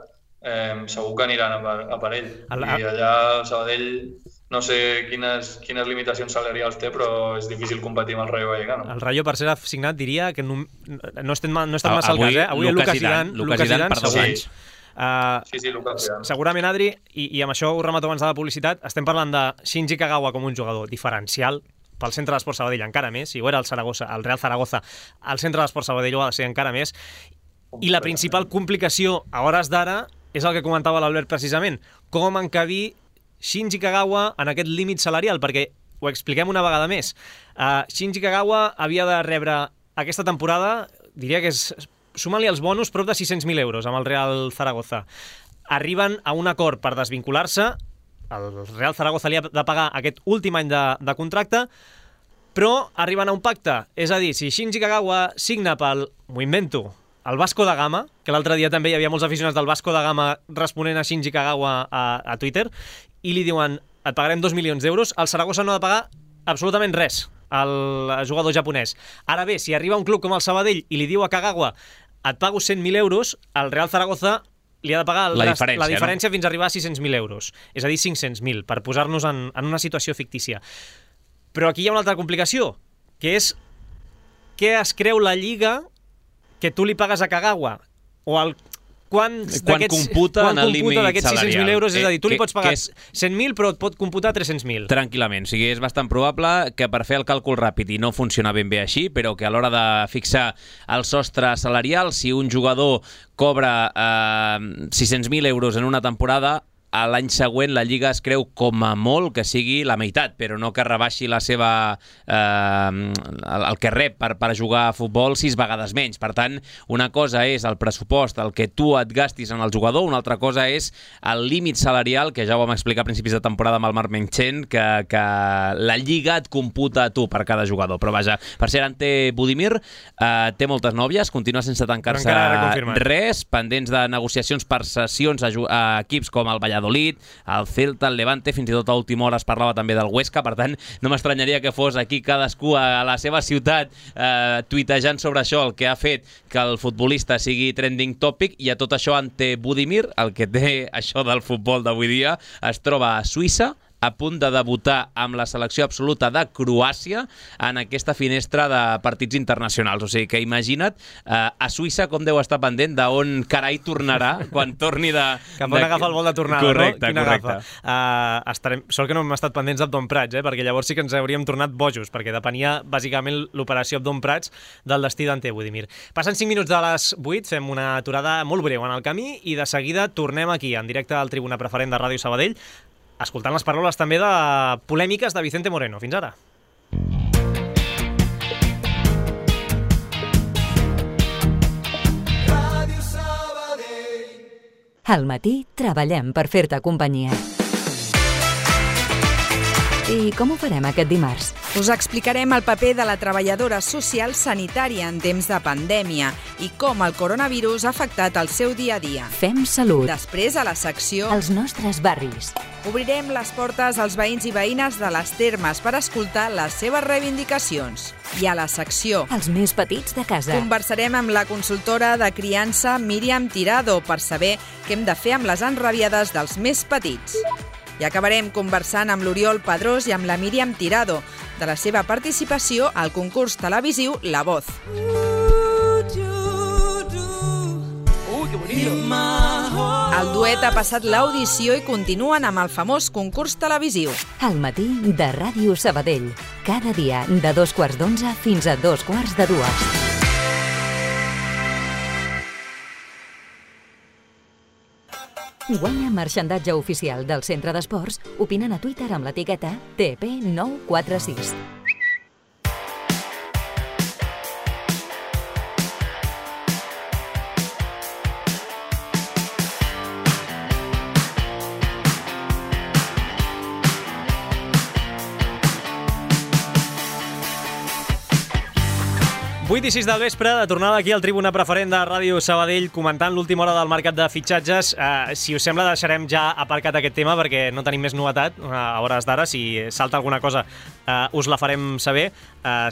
segur que aniran a per ell. I allà al Sabadell no sé quines limitacions salarials té, però és difícil competir amb el Rayo Vallecano. El Rayo, per ser signat, diria que no estem massa al cas, Avui Lucas Zidane per 2 anys. Sí, Lucas Zidane. Segurament, Adri, i amb això ho remato abans de la publicitat, estem parlant de Shinji Kagawa com un jugador diferencial pel centre d'Esport Sabadell encara més, si ho era el Real Zaragoza, el centre d'Esport Sabadell ho ha de ser encara més, i la principal complicació a hores d'ara és el que comentava l'Albert precisament, com encabir Shinji Kagawa en aquest límit salarial, perquè ho expliquem una vegada més. Shinji Kagawa havia de rebre aquesta temporada, diria que és, suma-li els bonus, prop de 600.000 euros amb el Real Zaragoza. Arriben a un acord per desvincular-se, el Real Zaragoza li ha de pagar aquest últim any de contracte, però arriben a un pacte. És a dir, si Shinji Kagawa signa pel, m'ho invento, el Vasco da Gama, que l'altre dia també hi havia molts aficionats del Vasco da Gama responent a Shinji Kagawa a Twitter, i li diuen, et pagarem 2 milions d'euros, el Saragossa no ha de pagar absolutament res al jugador japonès. Ara bé, si arriba un club com el Sabadell i li diu a Kagawa, et pago 100.000 euros, el Real Zaragoza li ha de pagar la diferència fins a arribar a 600.000 euros. És a dir, 500.000, per posar-nos en una situació fictícia. Però aquí hi ha una altra complicació, que és què es creu la Lliga que tu li pagues a Kagawa, o quan computa en el límit d'aquests 600.000 euros, és a dir, tu li pots pagar 100.000 però et pot computar 300.000. Tranquil·lament, o sigui, és bastant probable que per fer el càlcul ràpid, i no funciona ben bé així, però que a l'hora de fixar el sostre salarial, si un jugador cobra 600.000 euros en una temporada, a l'any següent la Lliga es creu com a molt que sigui la meitat, però no que rebaixi la seva el que rep per jugar a futbol 6 vegades menys. Per tant, una cosa és el pressupost, el que tu et gastis en el jugador, una altra cosa és el límit salarial, que ja ho vam explicar a principis de temporada amb el Marc Menchen, que la Lliga et computa a tu per cada jugador. Però vaja, per ser Ante Budimir, té moltes nòvies, continua sense tancar-se res, pendents de negociacions per cessions a equips com el Valladolid Valladolid, el Celta, el Levante, fins i tot a última hora es parlava també del Huesca, per tant no m'estranyaria que fos aquí cadascú a la seva ciutat tuitejant sobre això, el que ha fet que el futbolista sigui trending topic, i a tot això ante Budimir, el que té això del futbol d'avui dia, es troba a Suïssa, a punt de debutar amb la selecció absoluta de Croàcia en aquesta finestra de partits internacionals. O sigui que imagina't a Suïssa com deu estar pendent d'on carai tornarà quan torni de... Cap on agafa el vol de tornada, correcte, no? Correcte. Sort que no hem estat pendents d'Abdon Prats, perquè llavors sí que ens hauríem tornat bojos, perquè depenia bàsicament l'operació Abdon Prats del destí d'Ante Budimir. Passen 5 minuts de les 8, fem una aturada molt breu en el camí i de seguida tornem aquí, en directe al Tribuna Preferent de Ràdio Sabadell, escoltant les paraules també de polèmiques de Vicente Moreno. Fins ara. Al matí treballem per fer-te companyia. I com ho farem aquest dimarts? Us explicarem el paper de la treballadora social sanitària en temps de pandèmia i com el coronavirus ha afectat el seu dia a dia. Fem salut. Després, a la secció, Els nostres barris. obrirem les portes als veïns i veïnes de les Termes per escoltar les seves reivindicacions. I a la secció, Els més petits de casa. conversarem amb la consultora de criança Míriam Tirado per saber què hem de fer amb les enrabiades dels més petits. I acabarem conversant amb l'Oriol Pedrós i amb la Míriam Tirado de la seva participació al concurs televisiu La Voz. El duet ha passat l'audició i continuen amb el famós concurs televisiu. Al matí de Ràdio Sabadell. Cada dia de 2:15 fins a 2:45. Guanya marxandatge oficial del Centre d'Esports opinant a Twitter amb l'etiqueta TP946. Vuit i 6 del vespre, de tornada aquí al Tribuna Preferent de Ràdio Sabadell, comentant l'última hora del mercat de fitxatges. Si us sembla, deixarem ja aparcat aquest tema perquè no tenim més novetat a hores d'ara. Si salta alguna cosa, us la farem saber.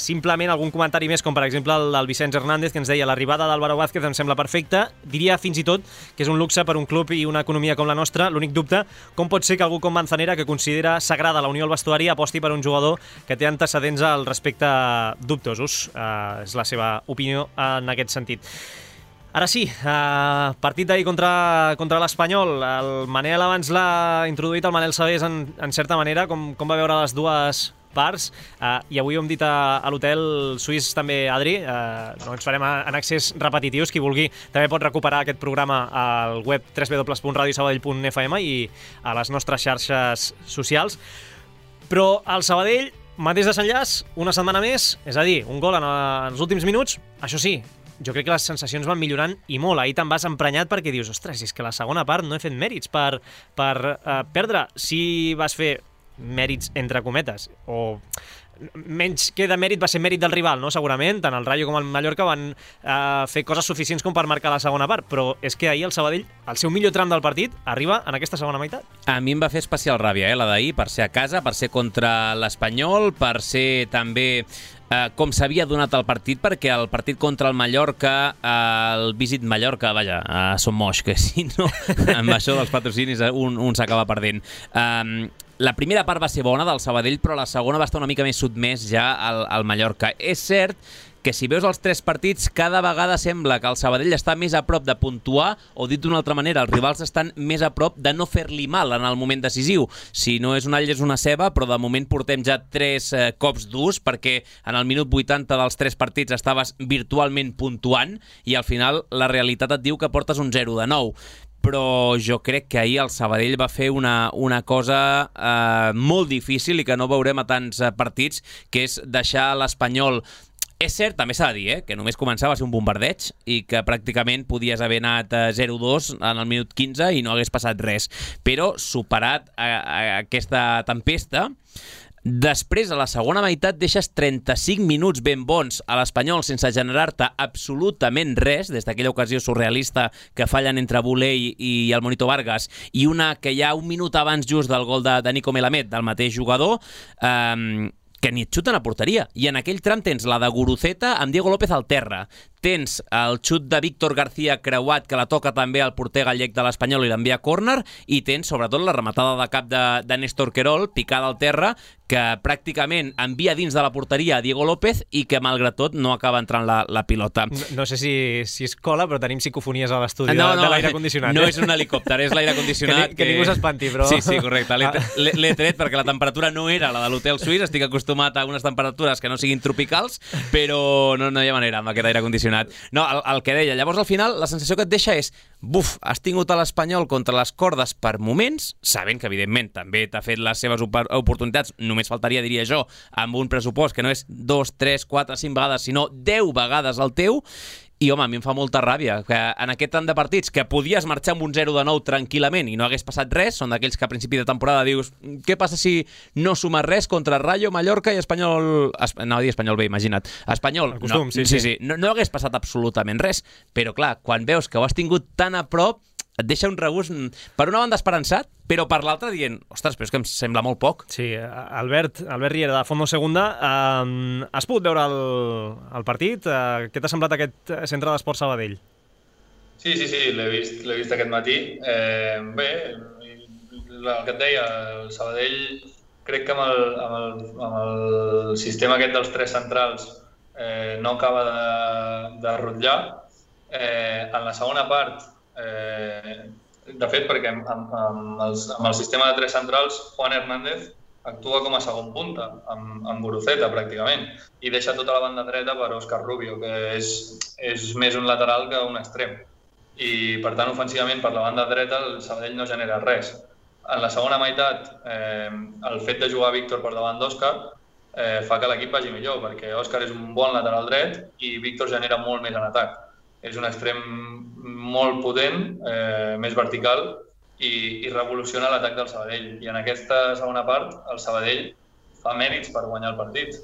Simplement algun comentari més, com per exemple el del Vicenç Hernández, que ens deia l'arribada d'Álvaro Vázquez em sembla perfecta. Diria fins i tot que és un luxe per un club i una economia com la nostra. L'únic dubte, com pot ser que algú com Manzanera, que considera sagrada la unió al vestuari, aposti per un jugador que té antecedents al respecte dubtosos. És la seva opinió en aquest sentit. Ara sí, partit d'ahir contra l'Espanyol. El Manel abans l'ha introduït, el Manel Sabés, en certa manera, com va veure les dues parts, i avui ho hem dit a l'hotel suís també, Adri, no ens farem en accés repetitius. Qui vulgui també pot recuperar aquest programa al web www.radiosabadell.fm i a les nostres xarxes socials. Però el Sabadell, mateix desenllaç, una setmana més, és a dir, un gol en els últims minuts. Això sí, jo crec que les sensacions van millorant i molt. Ahir te'n vas emprenyat perquè dius, ostres, és que la segona part no he fet mèrits per perdre. Si vas fer mèrits entre cometes, o menys que de mèrit va ser mèrit del rival, no? Segurament, tant el Rayo com el Mallorca van fer coses suficients com per marcar la segona part, però és que ahir el Sabadell, el seu millor tram del partit, arriba en aquesta segona meitat. A mi em va fer especial ràbia, la d'ahir, per ser a casa, per ser contra l'Espanyol, per ser també com s'havia donat el partit, perquè el partit contra el Mallorca, el Visit Mallorca, vaja, som moix, que si no, amb això dels patrocinis un s'acaba perdent. La primera part va ser bona del Sabadell, però la segona va estar una mica més sotmès ja al Mallorca. És cert que si veus els 3 partits, cada vegada sembla que el Sabadell està més a prop de puntuar, o dit d'una altra manera, els rivals estan més a prop de no fer-li mal en el moment decisiu. Si no és un all, és una ceba, però de moment portem ja 3 cops durs, perquè en el minut 80 dels 3 partits estaves virtualment puntuant, i al final la realitat et diu que portes un 0 de 9. Però jo crec que ahir el Sabadell va fer una cosa molt difícil i que no veurem a tants partits, que és deixar l'Espanyol. És cert, també s'ha de dir, que només començava a ser un bombardeig i que pràcticament podies haver anat 0-2 en el minut 15 i no hagués passat res. Però superat aquesta tempesta, Després, a la segona meitat, deixes 35 minuts ben bons a l'Espanyol sense generar-te absolutament res, des d'aquella ocasió surrealista que fallen entre Buley i el Monito Vargas, i una que hi ha un minut abans just del gol de Nico Melamed, del mateix jugador, que ni et xuten a porteria. I en aquell tram tens la de Guruceta amb Diego López al terra. Tens el xut de Víctor García creuat, que la toca també al porter gallec de l'Espanyol i l'envia a córner, i tens sobretot la rematada de cap de Néstor Querol, picada al terra, que pràcticament envia dins de la porteria a Diego López i que, malgrat tot, no acaba entrant la pilota. No sé si es cola, però tenim psicofonies a l'estudi de l'aire condicionat. No és un helicòpter, és l'aire condicionat. Que ningú s'espanti, però... Sí, correcte. L'he tret perquè la temperatura no era la de l'hotel suís. Estic acostumat a unes temperatures que no siguin tropicals, però no hi ha manera amb aquest aire condicionat. No, el que deia. Llavors, al final, la sensació que et deixa és has tingut a l'Espanyol contra les cordes per moments, sabent que, evidentment, també t'ha fet les seves oportunitats, només faltaria, diria jo, amb un pressupost que no és 2, 3, 4, 5 vegades, sinó 10 vegades el teu. I, home, a mi em fa molta ràbia que en aquest tant de partits que podies marxar amb un 0 de 9 tranquil·lament i no hagués passat res, són d'aquells que a principi de temporada dius què passa si no sumes res contra Rayo, Mallorca i Espanyol... No, dir Espanyol bé, imagina't. Espanyol, el costum, sí. No hagués passat absolutament res, però clar, quan veus que ho has tingut tan a prop, et deixa un regust, per una banda esperançat, però per l'altra dient, ostres, però és que em sembla molt poc. Sí, Albert Riera, de Fondo Segunda, has pogut veure el partit? Què t'ha semblat aquest centre d'Esport Sabadell? Sí, l'he vist aquest matí. Bé, el que et deia, el Sabadell, crec que amb el sistema aquest dels 3 centrals no acaba de rotllar. En la segona part, de fet, perquè amb el sistema de 3 centrals, Juan Hernández actua com a segon punta, amb Guruceta, pràcticament, i deixa tota la banda dreta per Óscar Rubio, que és més un lateral que un extrem. I, per tant, ofensivament, per la banda dreta, el Sabadell no genera res. En la segona meitat, el fet de jugar Víctor per davant d'Òscar fa que l'equip vagi millor, perquè Òscar és un bon lateral dret i Víctor genera molt més en atac. És un extrem molt potent, més vertical, i revoluciona l'atac del Sabadell. I en aquesta segona part, el Sabadell fa mèrits per guanyar el partit.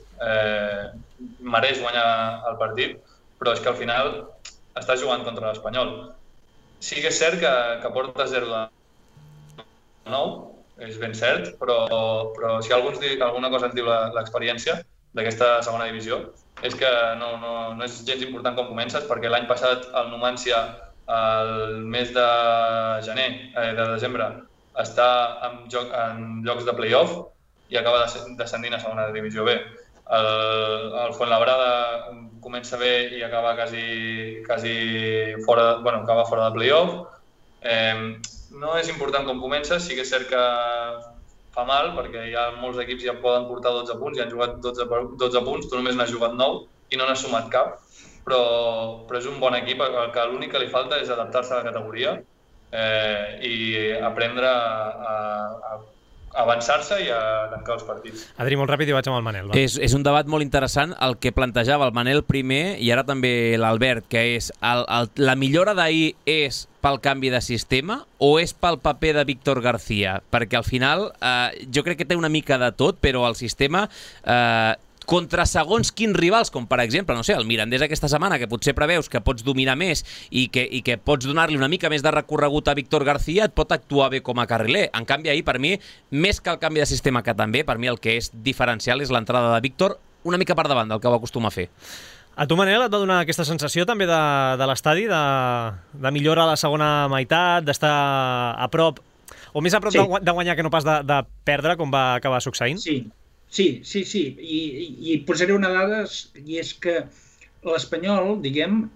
Mereix guanyar el partit, però és que al final està jugant contra l'Espanyol. Sí que és cert que porta 0 de 9, és ben cert, però si alguna cosa ens diu l'experiència d'aquesta segona divisió, és que no és gens important com comences, perquè l'any passat el Numancia, el mes de desembre, està en llocs de play-off i acaba descendint a segona divisió B. El Fuenlabrada comença bé i acaba quasi fora, acaba fora de play-off. No és important com comences, sí que és cert que fa mal, perquè hi ha molts equips que ja poden portar 12 punts i han jugat 12 punts, tu només n'has jugat 9 i no n'has sumat cap, però és un bon equip, que l'únic que li falta és adaptar-se a la categoria i aprendre a avançar-se i a tancar els partits. Adri, molt ràpid i vaig amb el Manel. És un debat molt interessant el que plantejava el Manel primer i ara també l'Albert, que és la millora d'ahir és pel canvi de sistema o és pel paper de Víctor García? Perquè al final jo crec que té una mica de tot, però el sistema contra segons quins rivals, com per exemple, no sé, el Mirandés aquesta setmana, que potser preveus que pots dominar més i que pots donar-li una mica més de recorregut a Víctor García, et pot actuar bé com a carriler. En canvi, ahir, per mi, més que el canvi de sistema que també, per mi el que és diferencial és l'entrada de Víctor una mica per davant del que ho acostuma a fer. A tu, Manel, et va donar aquesta sensació també de l'estadi, de millora a la segona meitat, d'estar a prop, o més a prop de guanyar que no pas de perdre, com va acabar succeint? Sí. I posaré una dada, i és que l'Espanyol, diguem,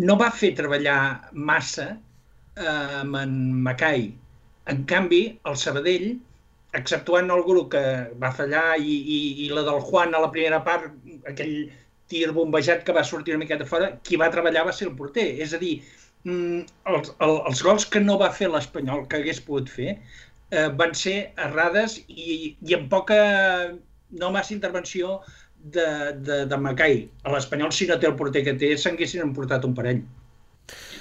no va fer treballar massa amb en Macai. En canvi, el Sabadell, exceptuant el grup que va fallar i la del Juan a la primera part, aquell tir bombejat que va sortir una miqueta fora, qui va treballar va ser el porter. És a dir, els gols que no va fer l'Espanyol, que hagués pogut fer, van ser errades i amb poca, no massa intervenció de Macai. A l'Espanyol, si no té el porter que té, s'haguessin emportat un parell.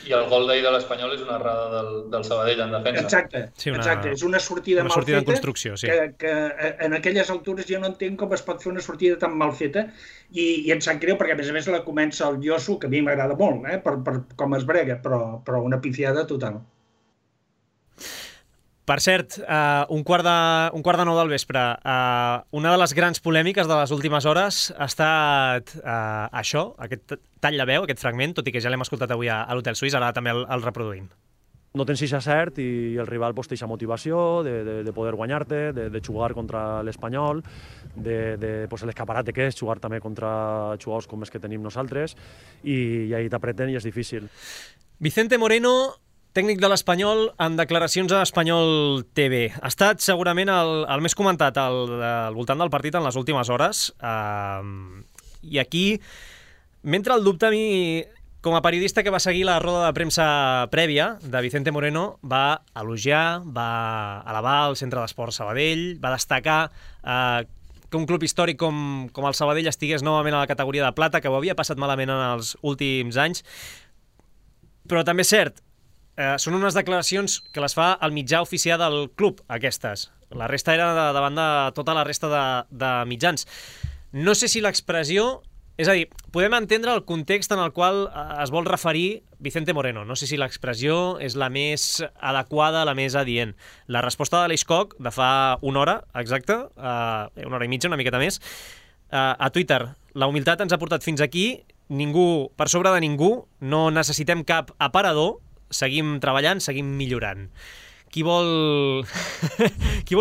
I el gol d'ahir de l'Espanyol és una errada del Sabadell en defensa. Exacte. És una sortida mal feta en construcció, sí. que en aquelles altures jo no entenc com es pot fer una sortida tan mal feta i em sap greu perquè a més la comença el Yosu, que a mi m'agrada molt, per com es brega, però una pifiada total. Per cert, un quart de 9 del vespre, una de les grans polèmiques de les últimes hores ha estat això, aquest tall de veu, aquest fragment, tot i que ja l'hem escoltat avui a l'Hotel Suís, ara també el reproduïm. No tens eixa cert i el rival té eixa motivació de poder guanyar-te, de jugar contra l'Espanyol, de l'escaparat que és jugar també contra jugadors com els que tenim nosaltres i ahí t'apreten i és difícil. Vicente Moreno, tècnic de l'Espanyol, en declaracions a Espanyol TV. Ha estat segurament el més comentat al voltant del partit en les últimes hores. I aquí m'entra el dubte a mi, com a periodista que va seguir la roda de premsa prèvia de Vicente Moreno, va elogiar, va elevar el Centre d'Esports Sabadell, va destacar que un club històric com el Sabadell estigués novament a la categoria de plata, que ho havia passat malament en els últims anys. Però també és cert, són unes declaracions que les fa el mitjà oficial del club, aquestes. La resta era davant de tota la resta de mitjans. No sé si l'expressió... És a dir, podem entendre el context en el qual es vol referir Vicente Moreno. No sé si l'expressió és la més adequada, la més adient. La resposta de l'Eixcock, de fa una hora, exacte, una hora i mitja, una miqueta més, a Twitter. La humilitat ens ha portat fins aquí, ningú, per sobre de ningú, no necessitem cap aparador, seguim treballant, seguim millorant. Qui vol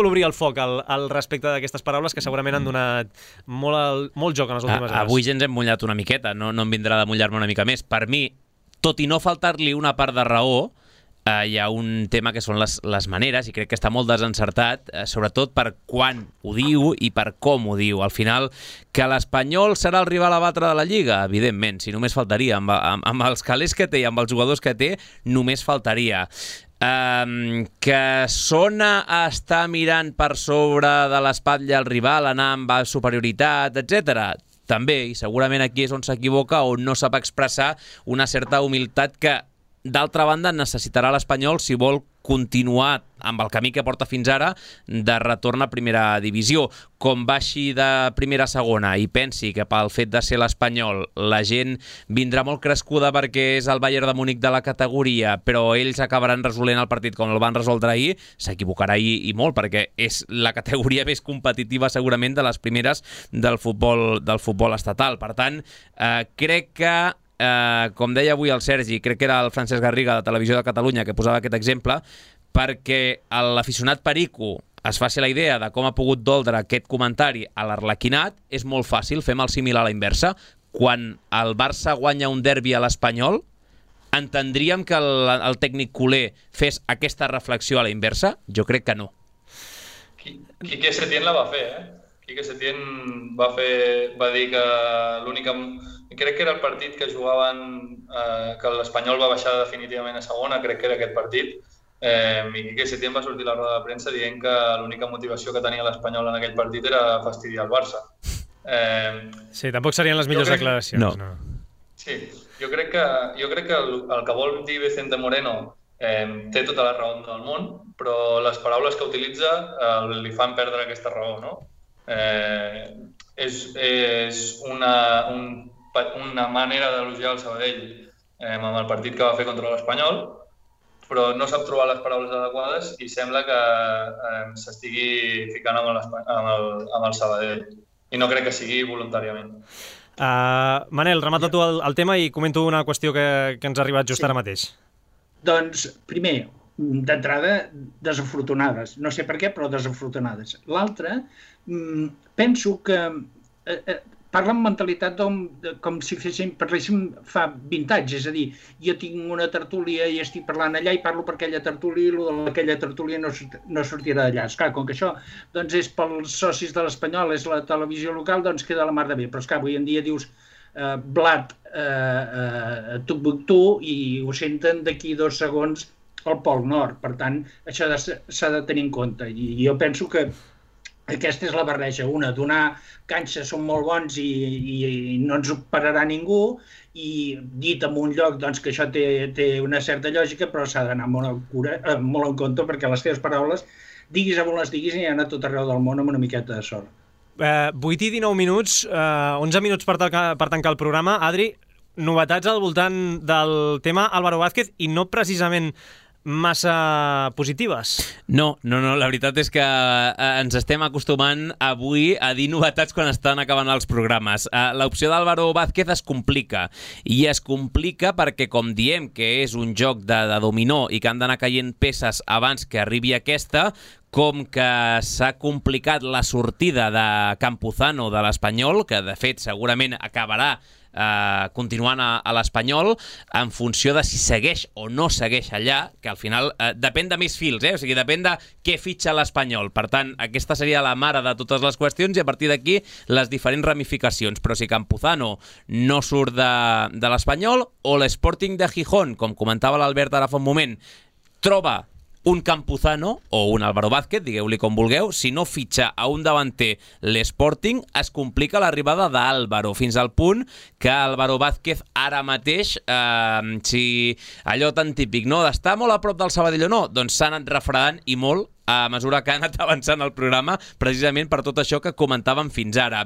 obrir el foc al respecte d'aquestes paraules que segurament han donat molt joc en les últimes hores? Avui ja ens hem mullat una miqueta, no em vindrà de mullar-me una mica més. Per mi, tot i no faltar-li una part de raó, hi ha un tema que són les maneres, i crec que està molt desencertat, sobretot per quan ho diu i per com ho diu. Al final, que l'Espanyol serà el rival a batre de la Lliga, evidentment, si només faltaria. Amb els calés que té i amb els jugadors que té, només faltaria. Que sona a estar mirant per sobre de l'espatlla al rival, anar amb superioritat, etc. També, i segurament aquí és on s'equivoca, on no sap expressar una certa humilitat que, d'altra banda, necessitarà l'Espanyol si vol continuar amb el camí que porta fins ara de retorn a primera divisió. Com baixi de primera a segona i pensi que pel fet de ser l'Espanyol la gent vindrà molt crescuda perquè és el Bayern de Múnich de la categoria, però ells acabaran resolent el partit com el van resoldre ahir, s'equivocarà i molt, perquè és la categoria més competitiva segurament de les primeres del futbol estatal. Per tant, crec que com deia avui el Sergi, crec que era el Francesc Garriga de Televisió de Catalunya que posava aquest exemple, perquè l'aficionat perico es faci la idea de com ha pogut doldre aquest comentari a l'Arlequinat, és molt fàcil, fem el símil a la inversa. Quan el Barça guanya un derbi a l'Espanyol, entendríem que el tècnic culer fes aquesta reflexió a la inversa? Jo crec que no. Quique Setién la va fer, Quique Setién va dir que l'única... Crec que era el partit que jugaven, que l'Espanyol va baixar definitivament a segona, crec que era aquest partit, i Quique Setién va sortir a la roda de premsa dient que l'única motivació que tenia l'Espanyol en aquell partit era fastidiar el Barça. Sí, tampoc serien les millors declaracions. No. Sí, jo crec que el que vol dir Vicente Moreno té tota la raó del món, però les paraules que utilitza li fan perdre aquesta raó, no? És una manera d'elogiar el Sabadell amb el partit que va fer contra l'Espanyol, però no sap trobar les paraules adequades i sembla que s'estigui ficant amb el Sabadell. I no crec que sigui voluntàriament. Manel, remata tu el tema i comento una qüestió que ens ha arribat just ara mateix. Doncs, primer, d'entrada, desafortunades. No sé per què, però desafortunades. L'altra, penso que parla amb mentalitat com si parléssim fa 20 anys, és a dir, jo tinc una tertúlia i estic parlant allà i parlo per aquella tertúlia i aquella tertúlia no sortirà d'allà. Esclar, com que això és pels socis de l'Espanyol, és la televisió local, doncs queda la mar de bé. Però esclar, avui en dia dius blat Tumbuktu i ho senten d'aquí 2 segons al Pol Nord. Per tant, això s'ha de tenir en compte. I jo penso que Aquesta és la barreja, una, donar canxa, són molt bons i no ens ho pararà ningú, i dit en un lloc doncs, que això té una certa lògica, però s'ha d'anar molt en compte, perquè les teves paraules, diguis on les diguis, hi ha a tot arreu del món amb una miqueta de sort. 8 i 19 minuts, 11 minuts per tancar el programa. Adri, novetats al voltant del tema Álvaro Vázquez i no precisament massa positives. No, la veritat és que ens estem acostumant avui a dir novetats quan estan acabant els programes. L'opció d'Álvaro Vázquez es complica, i es complica perquè, com diem que és un joc de dominó i que han d'anar caient peces abans que arribi aquesta, com que s'ha complicat la sortida de Campuzano de l'Espanyol, que de fet segurament acabarà continuant a l'Espanyol, en funció de si segueix o no segueix allà, que al final depèn de més fils, o sigui, depèn de què fitxa l'Espanyol. Per tant, aquesta seria la mare de totes les qüestions i a partir d'aquí les diferents ramificacions. Però si Campuzano no surt de l'Espanyol, o l'Sporting de Gijón, com comentava l'Albert ara fa un moment, troba un Campuzano o un Álvaro Vázquez, digueu-li com vulgueu, si no fitxa a un davanter l'Sporting, es complica l'arribada d'Álvaro, fins al punt que Álvaro Vázquez ara mateix, si allò tan típic, no, d'estar molt a prop del Sabadell o no, doncs s'ha anat refredant i molt a mesura que ha anat avançant el programa, precisament per tot això que comentàvem fins ara.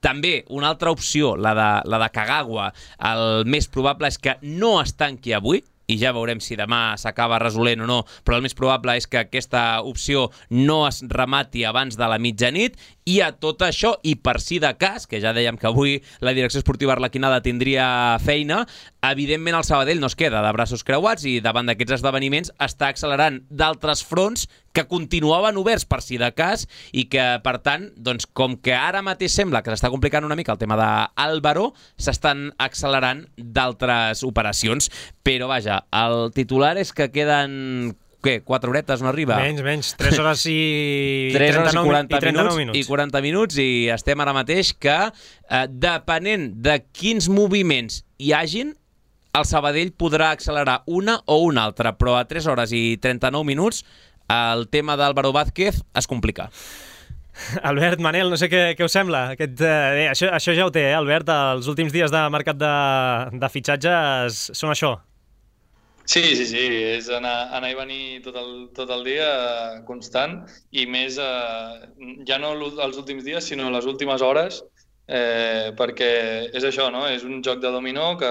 També una altra opció, la de Kagawa, el més probable és que no es tanqui avui, i ja veurem si demà s'acaba resolent o no, però el més probable és que aquesta opció no es remati abans de la mitjanit, i a tot això, i per si de cas, que ja dèiem que avui la direcció esportiva arlequinada tindria feina, evidentment el Sabadell no es queda de braços creuats i davant d'aquests esdeveniments està accelerant d'altres fronts que continuaven oberts per si de cas i que, per tant, doncs, com que ara mateix sembla que s'està complicant una mica el tema d'Álvaro, s'estan accelerant d'altres operacions. Però, vaja, el titular és que queden... Què? 4 horetes no arriba? Menys. 3 hores i 39 minuts. I 40 minuts, i estem ara mateix que, depenent de quins moviments hi hagin, el Sabadell podrà accelerar una o una altra, però a 3 hores i 39 minuts el tema d'Álvaro Vázquez es complica. Albert, Manel, no sé què us sembla. Això ja ho té, Albert? Els últims dies de mercat de fitxatges són això. Sí, és anar i venir tot el dia constant, i més ja no els últims dies, sinó les últimes hores, perquè és això, no? És un joc de dominó que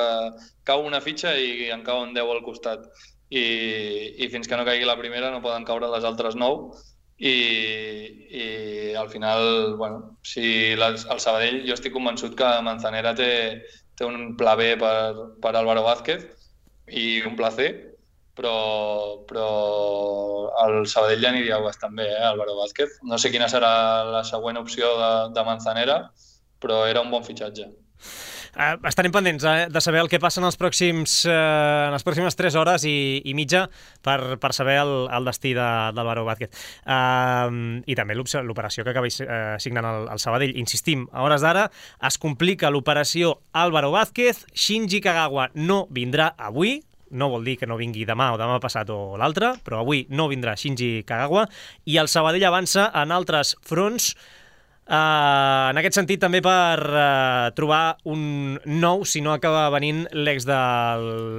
cau una fitxa i en cauen 10 al costat, i fins que no caigui la primera no poden caure les altres 9, i al final, bueno, si el Sabadell, jo estic convençut que Manzanera té un pla B per Álvaro Vázquez i un pla C, però el Sabadell ja aniria bastant bé, Álvaro Vázquez. No sé quina serà la següent opció de Manzanera, però era un bon fitxatge. Estarem pendents de saber el que passa en les pròximes 3 hores i mitja per saber el destí d'Álvaro Vázquez. I també l'operació que acaba signant el Sabadell. Insistim, a hores d'ara es complica l'operació Álvaro Vázquez. Shinji Kagawa no vindrà avui. No vol dir que no vingui demà o demà passat o l'altre, però avui no vindrà Shinji Kagawa, i el Sabadell avança en altres fronts. En aquest sentit, també per trobar un nou, si no acaba venint l'ex de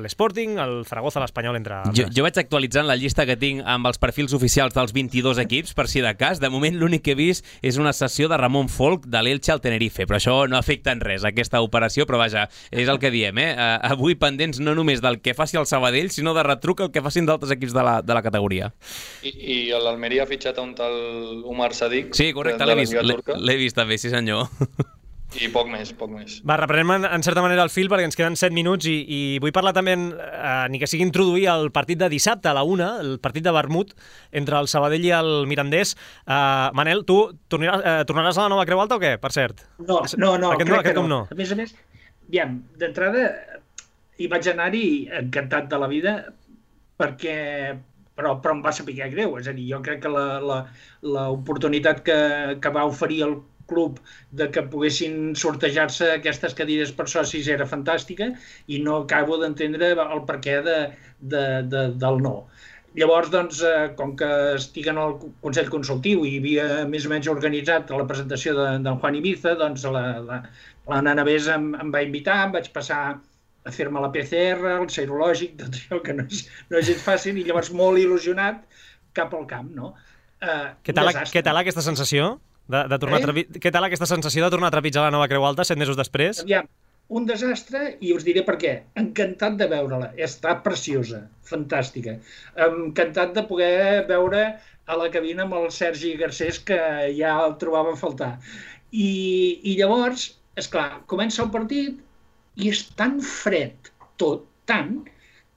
l'Sporting, el Zaragoza, l'Espanyol, entre altres. Jo vaig actualitzant la llista que tinc amb els perfils oficials dels 22 equips, per si de cas. De moment l'únic que he vist és una sessió de Ramon Folk de l'Elche al Tenerife, però això no afecta en res, aquesta operació, però vaja, és el que diem, avui pendents no només del que faci el Sabadell, sinó de retruc el que facin d'altres equips de la categoria. I l'Almeria ha fitxat a un tal Umar Sadik. Sí, correcte, l'he vist també, sí senyor. I poc més. Va, reprenem en certa manera el fil perquè ens queden 7 minuts i vull parlar també, ni que sigui introduir el partit de dissabte a la 1, el partit de vermut entre el Sabadell i el Mirandés. Manel, tu tornaràs a la Nova Creu Alta o què, per cert? No, crec que no. A més, aviam, d'entrada hi vaig anar-hi encantat de la vida perquè... Però em va saber greu, és a dir, jo crec que l'oportunitat que va oferir el club de que poguessin sortejar-se aquestes cadires per socis era fantàstica i no acabo d'entendre el perquè del no. Llavors, doncs, com que estic en el Consell Consultiu i havia més o menys organitzat la presentació d'en Juan Ibiza, doncs la nana Bés em va invitar, em vaig passar a fer-me la PCR, el serològic, tot això que no és gens fàcil, i llavors molt il·lusionat cap al camp, no? Què tal aquesta sensació de tornar què tal aquesta sensació de tornar a trepitjar la nova Creu Alta 7 mesos després? Aviam, un desastre, i us diré per què. Encantat de veure-la. Està preciosa, fantàstica. Encantat de poder veure a la cabina amb el Sergi Garcés, que ja el trobava a faltar. I llavors, esclar, comença el partit i és tan fred tot, tant,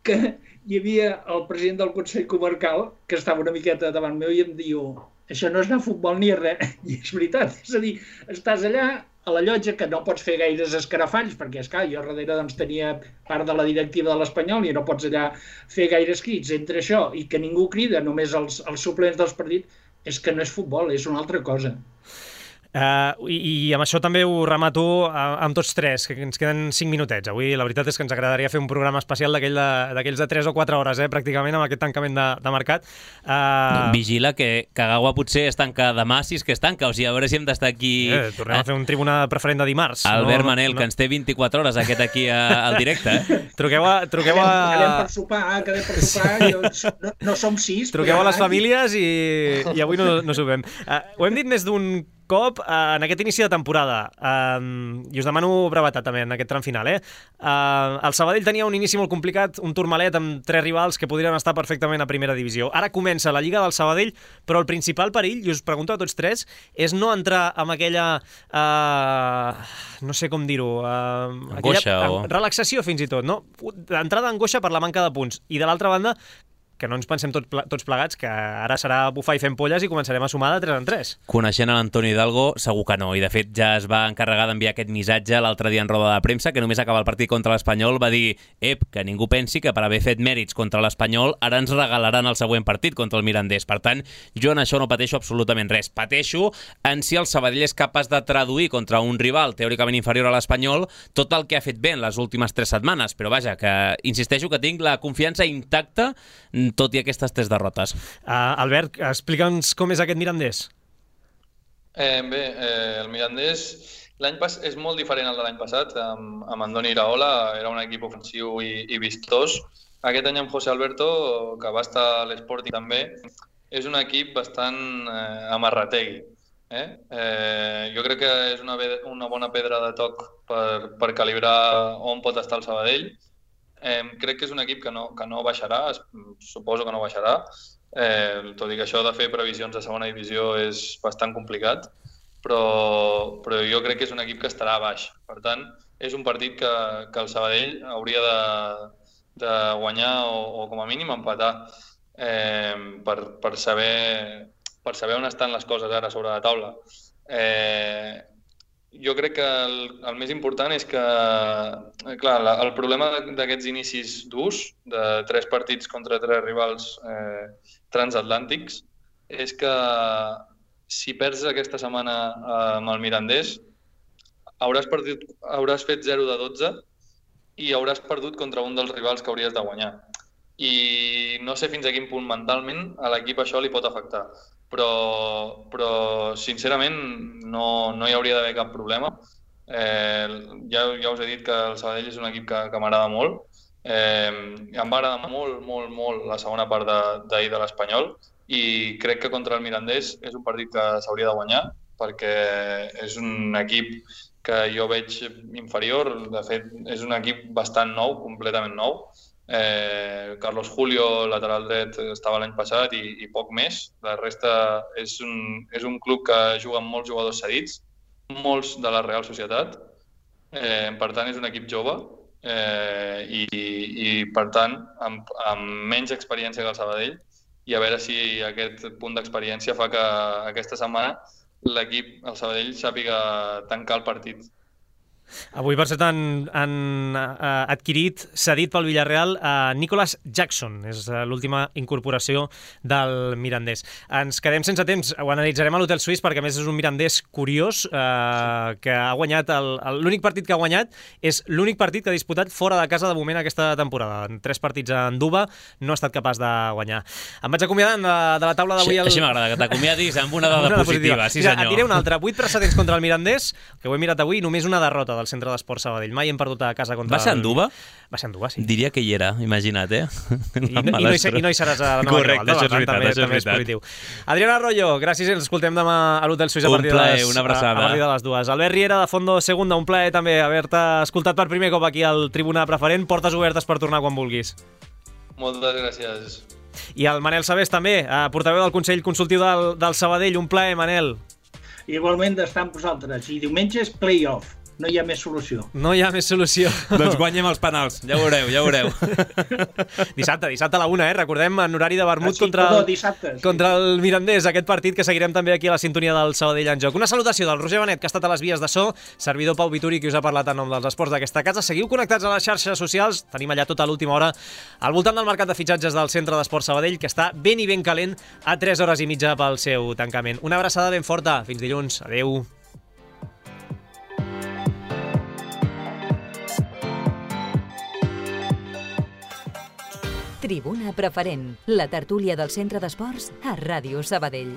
que hi havia el president del Consell Comarcal, que estava una miqueta davant meu i em diu: això no és anar a futbol ni res. I és veritat, és a dir, estàs allà a la llotja, que no pots fer gaires escarafalls, perquè, esclar, jo darrere doncs, tenia part de la directiva de l'Espanyol i no pots allà fer gaires crits. Entre això i que ningú crida, només els suplents dels partits, és que no és futbol, és una altra cosa. I amb això també ho remato amb tots tres, que ens queden 5 minutets. Avui la veritat és que ens agradaria fer un programa especial d'aquells de 3 o 4 hores, pràcticament, amb aquest tancament de mercat. Vigila que Kagawa potser es tanca demà, si és que es tanca, o sigui, a veure si hem d'estar aquí... Tornem a fer un tribuna preferent de dimarts. Albert Manel, que ens té 24 hores aquest aquí al directe. Truqueu a... Quedem per sopar, no som 6. Truqueu a les famílies i avui no sopem. Ho hem dit més d'un cop en aquest inici de temporada, i us demano brevetat també en aquest tram final. El Sabadell tenia un inici molt complicat, un turmalet amb 3 rivals que podrien estar perfectament a primera divisió. Ara comença la Lliga del Sabadell, però el principal perill, i us pregunto a tots tres, és no entrar amb aquella, no sé com dir-ho, relaxació fins i tot, no? Entrada d'angoixa per la manca de punts. I de l'altra banda, que no ens pensem tots plegats que ara serà bufar i fent polles i començarem a sumar de 3 en 3. Coneixent l'Antoni Hidalgo, segur que no. I, de fet, ja es va encarregar d'enviar aquest missatge l'altre dia en roda de premsa, que només acaba el partit contra l'Espanyol, va dir: que ningú pensi que per haver fet mèrits contra l'Espanyol ara ens regalaran el següent partit contra el Mirandés. Per tant, jo en això no pateixo absolutament res. Pateixo en si el Sabadell és capaç de traduir contra un rival teòricament inferior a l'Espanyol tot el que ha fet bé en les últimes 3 setmanes. Però vaja, que insisteixo que tinc la confiança intacta tot i aquestes 3 derrotes. Albert, explica'ns com és aquest Mirandés. El Mirandés és molt diferent al de l'any passat. Amb Andoni Iraola era un equip ofensiu i vistós. Aquest any amb José Alberto, que va estar a l'Sporting també, és un equip bastant amarrategui. Jo crec que és una bona pedra de toc per calibrar on pot estar el Sabadell. Crec que és un equip que no baixarà, suposo que no baixarà, tot i que això de fer previsions de segona divisió és bastant complicat, però jo crec que és un equip que estarà baix. Per tant, és un partit que el Sabadell hauria de guanyar o com a mínim empatar per saber on estan les coses ara sobre la taula. Jo crec que el més important és que, clar, el problema d'aquests inicis durs, de 3 partits contra 3 rivals transatlàntics, és que si perds aquesta setmana amb el Mirandés, hauràs fet 0 de 12 i hauràs perdut contra un dels rivals que hauries de guanyar. I no sé fins a quin punt mentalment a l'equip això li pot afectar. Però sincerament no hi hauria d'haver cap problema. Ja us he dit que el Sabadell és un equip que m'agrada molt. Em va agradar molt la segona part d'ahir de l'Espanyol i crec que contra el Mirandés és un partit que s'hauria de guanyar perquè és un equip que jo veig inferior. De fet, és un equip bastant nou, completament nou. Carlos Julio, lateral dret, estava l'any passat i poc més. La resta és un club que juga amb molts jugadors cedits, molts de la Real Societat. Per tant, és un equip jove i per tant, amb menys experiència que el Sabadell, i a veure si aquest punt d'experiència fa que aquesta setmana l'equip, el Sabadell, sàpiga tancar el partit. Avui, per cert, han adquirit, cedit pel Villarreal, Nicolas Jackson. És l'última incorporació del mirandès. Ens quedem sense temps. Ho analitzarem a l'Hotel Suís perquè, a més, és un mirandès curiós que ha guanyat... L'únic partit que ha guanyat és l'únic partit que ha disputat fora de casa de moment aquesta temporada. En 3 partits en Duba no ha estat capaç de guanyar. Em vaig acomiadant de la taula d'avui... Així m'agrada, que t'acomiadis amb una dada positiva. Sí, senyor. Et diré una altra. 8 precedents contra el mirandès, que ho he mirat avui, només una derrota del Centre d'Esports Sabadell. Mai hem perdut a casa contra... Va ser en Duba? Va ser en Duba, sí. Diria que hi era, imagina't, I no hi seràs a la nova Correcte, això és veritat, també és positiu. Adriana Arroyo, gràcies, ens escoltem demà a l'Hotel Suís a partir de les 2. Albert Riera, de Fondo Segunda, un plaer també haver-te escoltat per primer cop aquí al Tribuna Preferent. Portes obertes per tornar quan vulguis. Moltes gràcies. I el Manel Sabés també, portaveu del Consell Consultiu del Sabadell. Un plaer, Manel. Igualment d'estar amb vosaltres. I diumenge és play-off. No hi ha més solució. No hi ha més solució. Doncs guanyem els penals. Ja ho veureu. Dissabte a la 1, recordem, en horari de vermut contra el Mirandés, aquest partit que seguirem també aquí a la sintonia del Sabadell en joc. Una salutació del Roger Benet, que ha estat a les vies de so, servidor Pau Vituri, qui us ha parlat en nom dels esports d'aquesta casa. Seguiu connectats a les xarxes socials, tenim allà tota l'última hora al voltant del mercat de fitxatges del Centre d'Esports Sabadell, que està ben i ben calent a 3 hores i mitja pel seu tancament. Una abraçada ben forta, fins dilluns, adeu. Tribuna Preferent, la tertúlia del Centre d'Esports a Ràdio Sabadell.